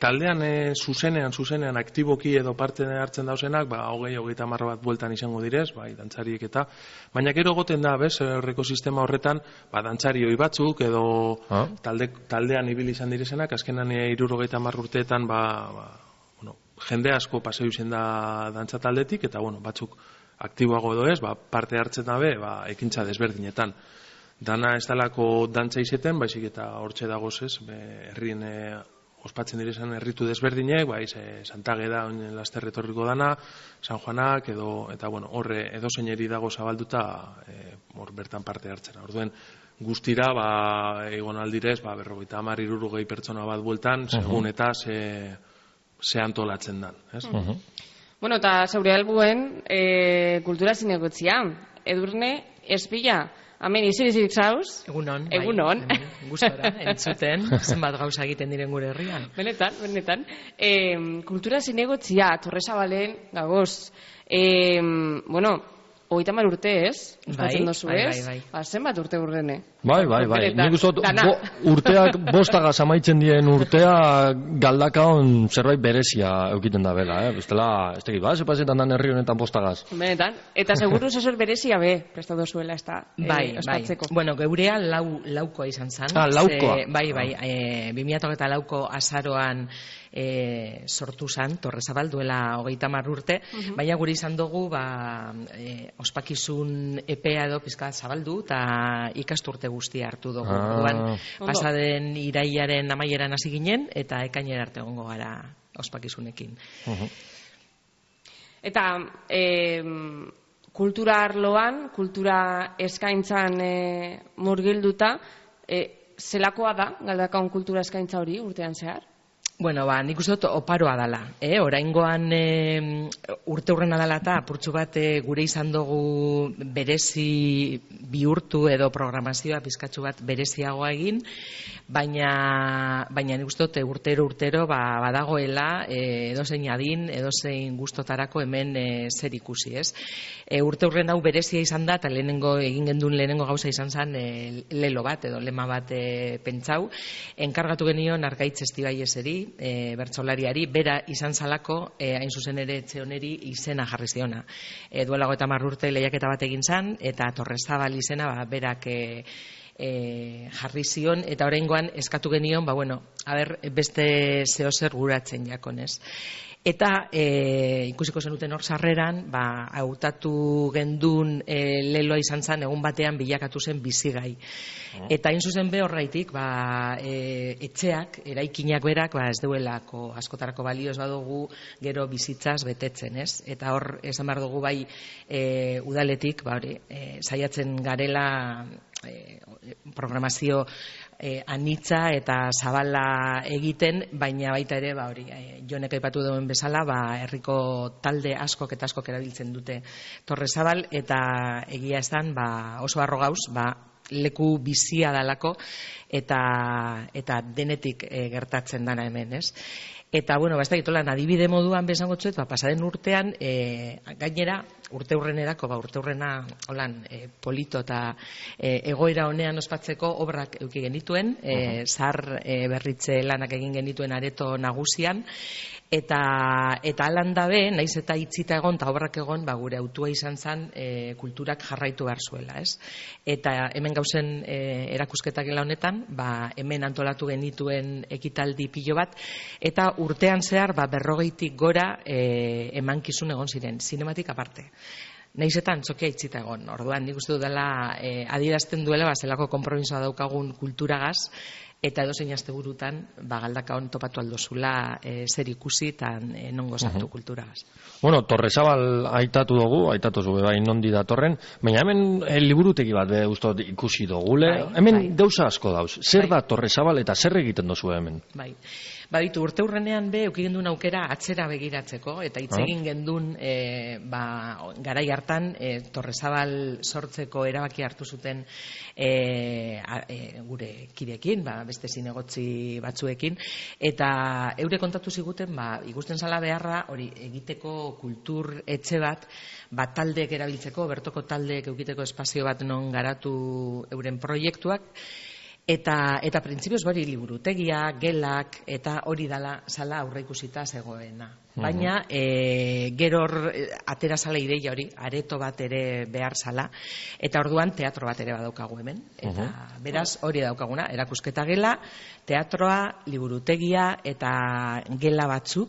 Taldean zuzenean aktiboki edo parte hartzen dauzenak, 20-30 bat bueltan izango direz, dantzariek eta, baina gero goten da, bez, ekosistema horretan, dantzari hoi batzuk edo taldean ibili izan direzenak, azkenan 70 urteetan, jende asko paseu izen da dantza taldetik, eta batzuk aktiboago edo ez, parte hartzen dabe, ekintza desberdinetan. Dana ez dalako dantza izeten, baizik eta hortxe dagoz ez, herrien ospatzen direzan herritu desberdinek, Santageda, laster etorriko dana, San Juanak, eta horre edo zeineri dago zabalduta, hor bertan parte hartzen. Orduen, guztira, egon aldirez, 50-60 pertsona bat bueltan, segun eta ze antolatzen dan, ez? Eta zeure helbuen kultura zinegotzia, Edurne Espila, hemen izirik zauz? Egunon. Gustora, entzuten, zenbat gauza egiten diren gure herrian. Benetan. Kultura zinegotzia, Torresabalen gagoz. 30 urte ez? Uztatzen dozu ez? Zenbat urte urrene? Bai. Nik uste urteak bostagaz amaitzen dien urtea galdakaon zerbait berezia eukiten da bela, bestela, ez tekit, zepazetan dan herri honetan bostagaz. Benetan, eta seguru zazor berezia prestatu zuela ez da ospatzeko. Geurea laukoa izan zan. Laukoa. Bai, 2004ko azaroan sortu zan, Torresabal duela 30 urte, baina guri izan dugu ospakizun epea edo pizka zabaldu eta ikasturte guztia hartu dugu. Pasaden irailaren amaieran hasi ginen eta ekainera arte egongo gara ospakizunekin. Eta kultura arloan, kultura eskaintzan murgilduta, zelakoa da Galdakaon kultura eskaintza hori urtean zehar? Nik uste dut oparoa dala. Oraingoan urte hurrena dala eta apurtxu bat gure izan dugu berezi bihurtu edo programazioa pizkatxu bat bereziagoa egin, baina nik uste dut urtero badagoela edozein adin, edozein gustotarako hemen zer ikusi, ez? Urte hurren hau berezia izan da, eta egin gendun lehenengo gauza izan zen lelo bat edo lema bat pentsau, enkargatu genion Argaitz Estibaieseri, bertsolariari, bera izan zalako, hain zuzen ere etxe honeri izena jarri ziona. Duela 30 urte lehiaketa bat egin zan, eta Torresabal izena berak jarri zion, eta oraingoan eskatu genion, beste zehozer guratzen jakonez. Eta ikusiko zenuten hor sarreran, hautatu gendun leloa izan zen, egun batean bilakatu zen bizigai. Eta hain zuzen be horreitik, etxeak, eraikinak berak, ez duelako askotarako balio ez badugu gero bizitzaz betetzen, ez? Eta hor, esan behar dugu bai udaletik, saiatzen garela programazio anitza eta zabala egiten, baina baita ere, Jonek aipatu duen bezala, herriko talde askok eta askok erabiltzen dute Torre Zabal, eta egia esan oso harro gauz, leku bizia dalako eta denetik gertatzen dana hemen, ez? Eta, ez da gitolan, adibide moduan bezango txuet, pasaden urtean, gainera, urte hurrena holan polito eta egoera honean ospatzeko obrak eduki genituen, zahar berritze lanak egin genituen areto nagusian, eta alan dabe, naiz eta itzita egon, eta obrak egon, gure autua izan zen kulturak jarraitu behar zuela, ez? Eta hemen gauzen erakusketak gela honetan, hemen antolatu genituen ekitaldi pilo bat, eta urtean zehar 40 gora emankizun egon ziren, zinematik aparte. Naiz eta antzokia itzita egon. Orduan, nik uste dudala adierazten duela, zelako konpromisoa daukagun kulturagaz, eta edozein asteburutan Galdakaon topatu aldozula zer ikusi eta nongo sartu kulturagaz. Bueno, Torre Zabal aitatu dugu, aitatu zube nondi datorren, baina hemen liburutegi bat ustot ikusi dugule, hemen gauza asko dauz. Zer da Torre Zabal eta zer egiten dozu hemen? Baditu, urte hurrenean euki gendun aukera atzera begiratzeko, eta hitz egin gendun garai hartan Torre Zabal sortzeko erabaki hartu zuten gure kideekin, beste zinegotzi batzuekin, eta eure kontatu ziguten, ikusten zala beharra, hori egiteko kultur etxe bat, taldeek erabiltzeko, bertoko taldeek eukiteko espazio bat non garatu euren proiektuak, eta printzipioz hori liburutegia, gelak, eta hori dala zala aurreikusita zegoena. Baina, gero atera zala ideia hori, areto bat ere behar zala, eta orduan teatro bat ere badaukagu hemen. Eta beraz, hori daukaguna, erakusketa gela, teatroa, liburutegia eta gela batzuk,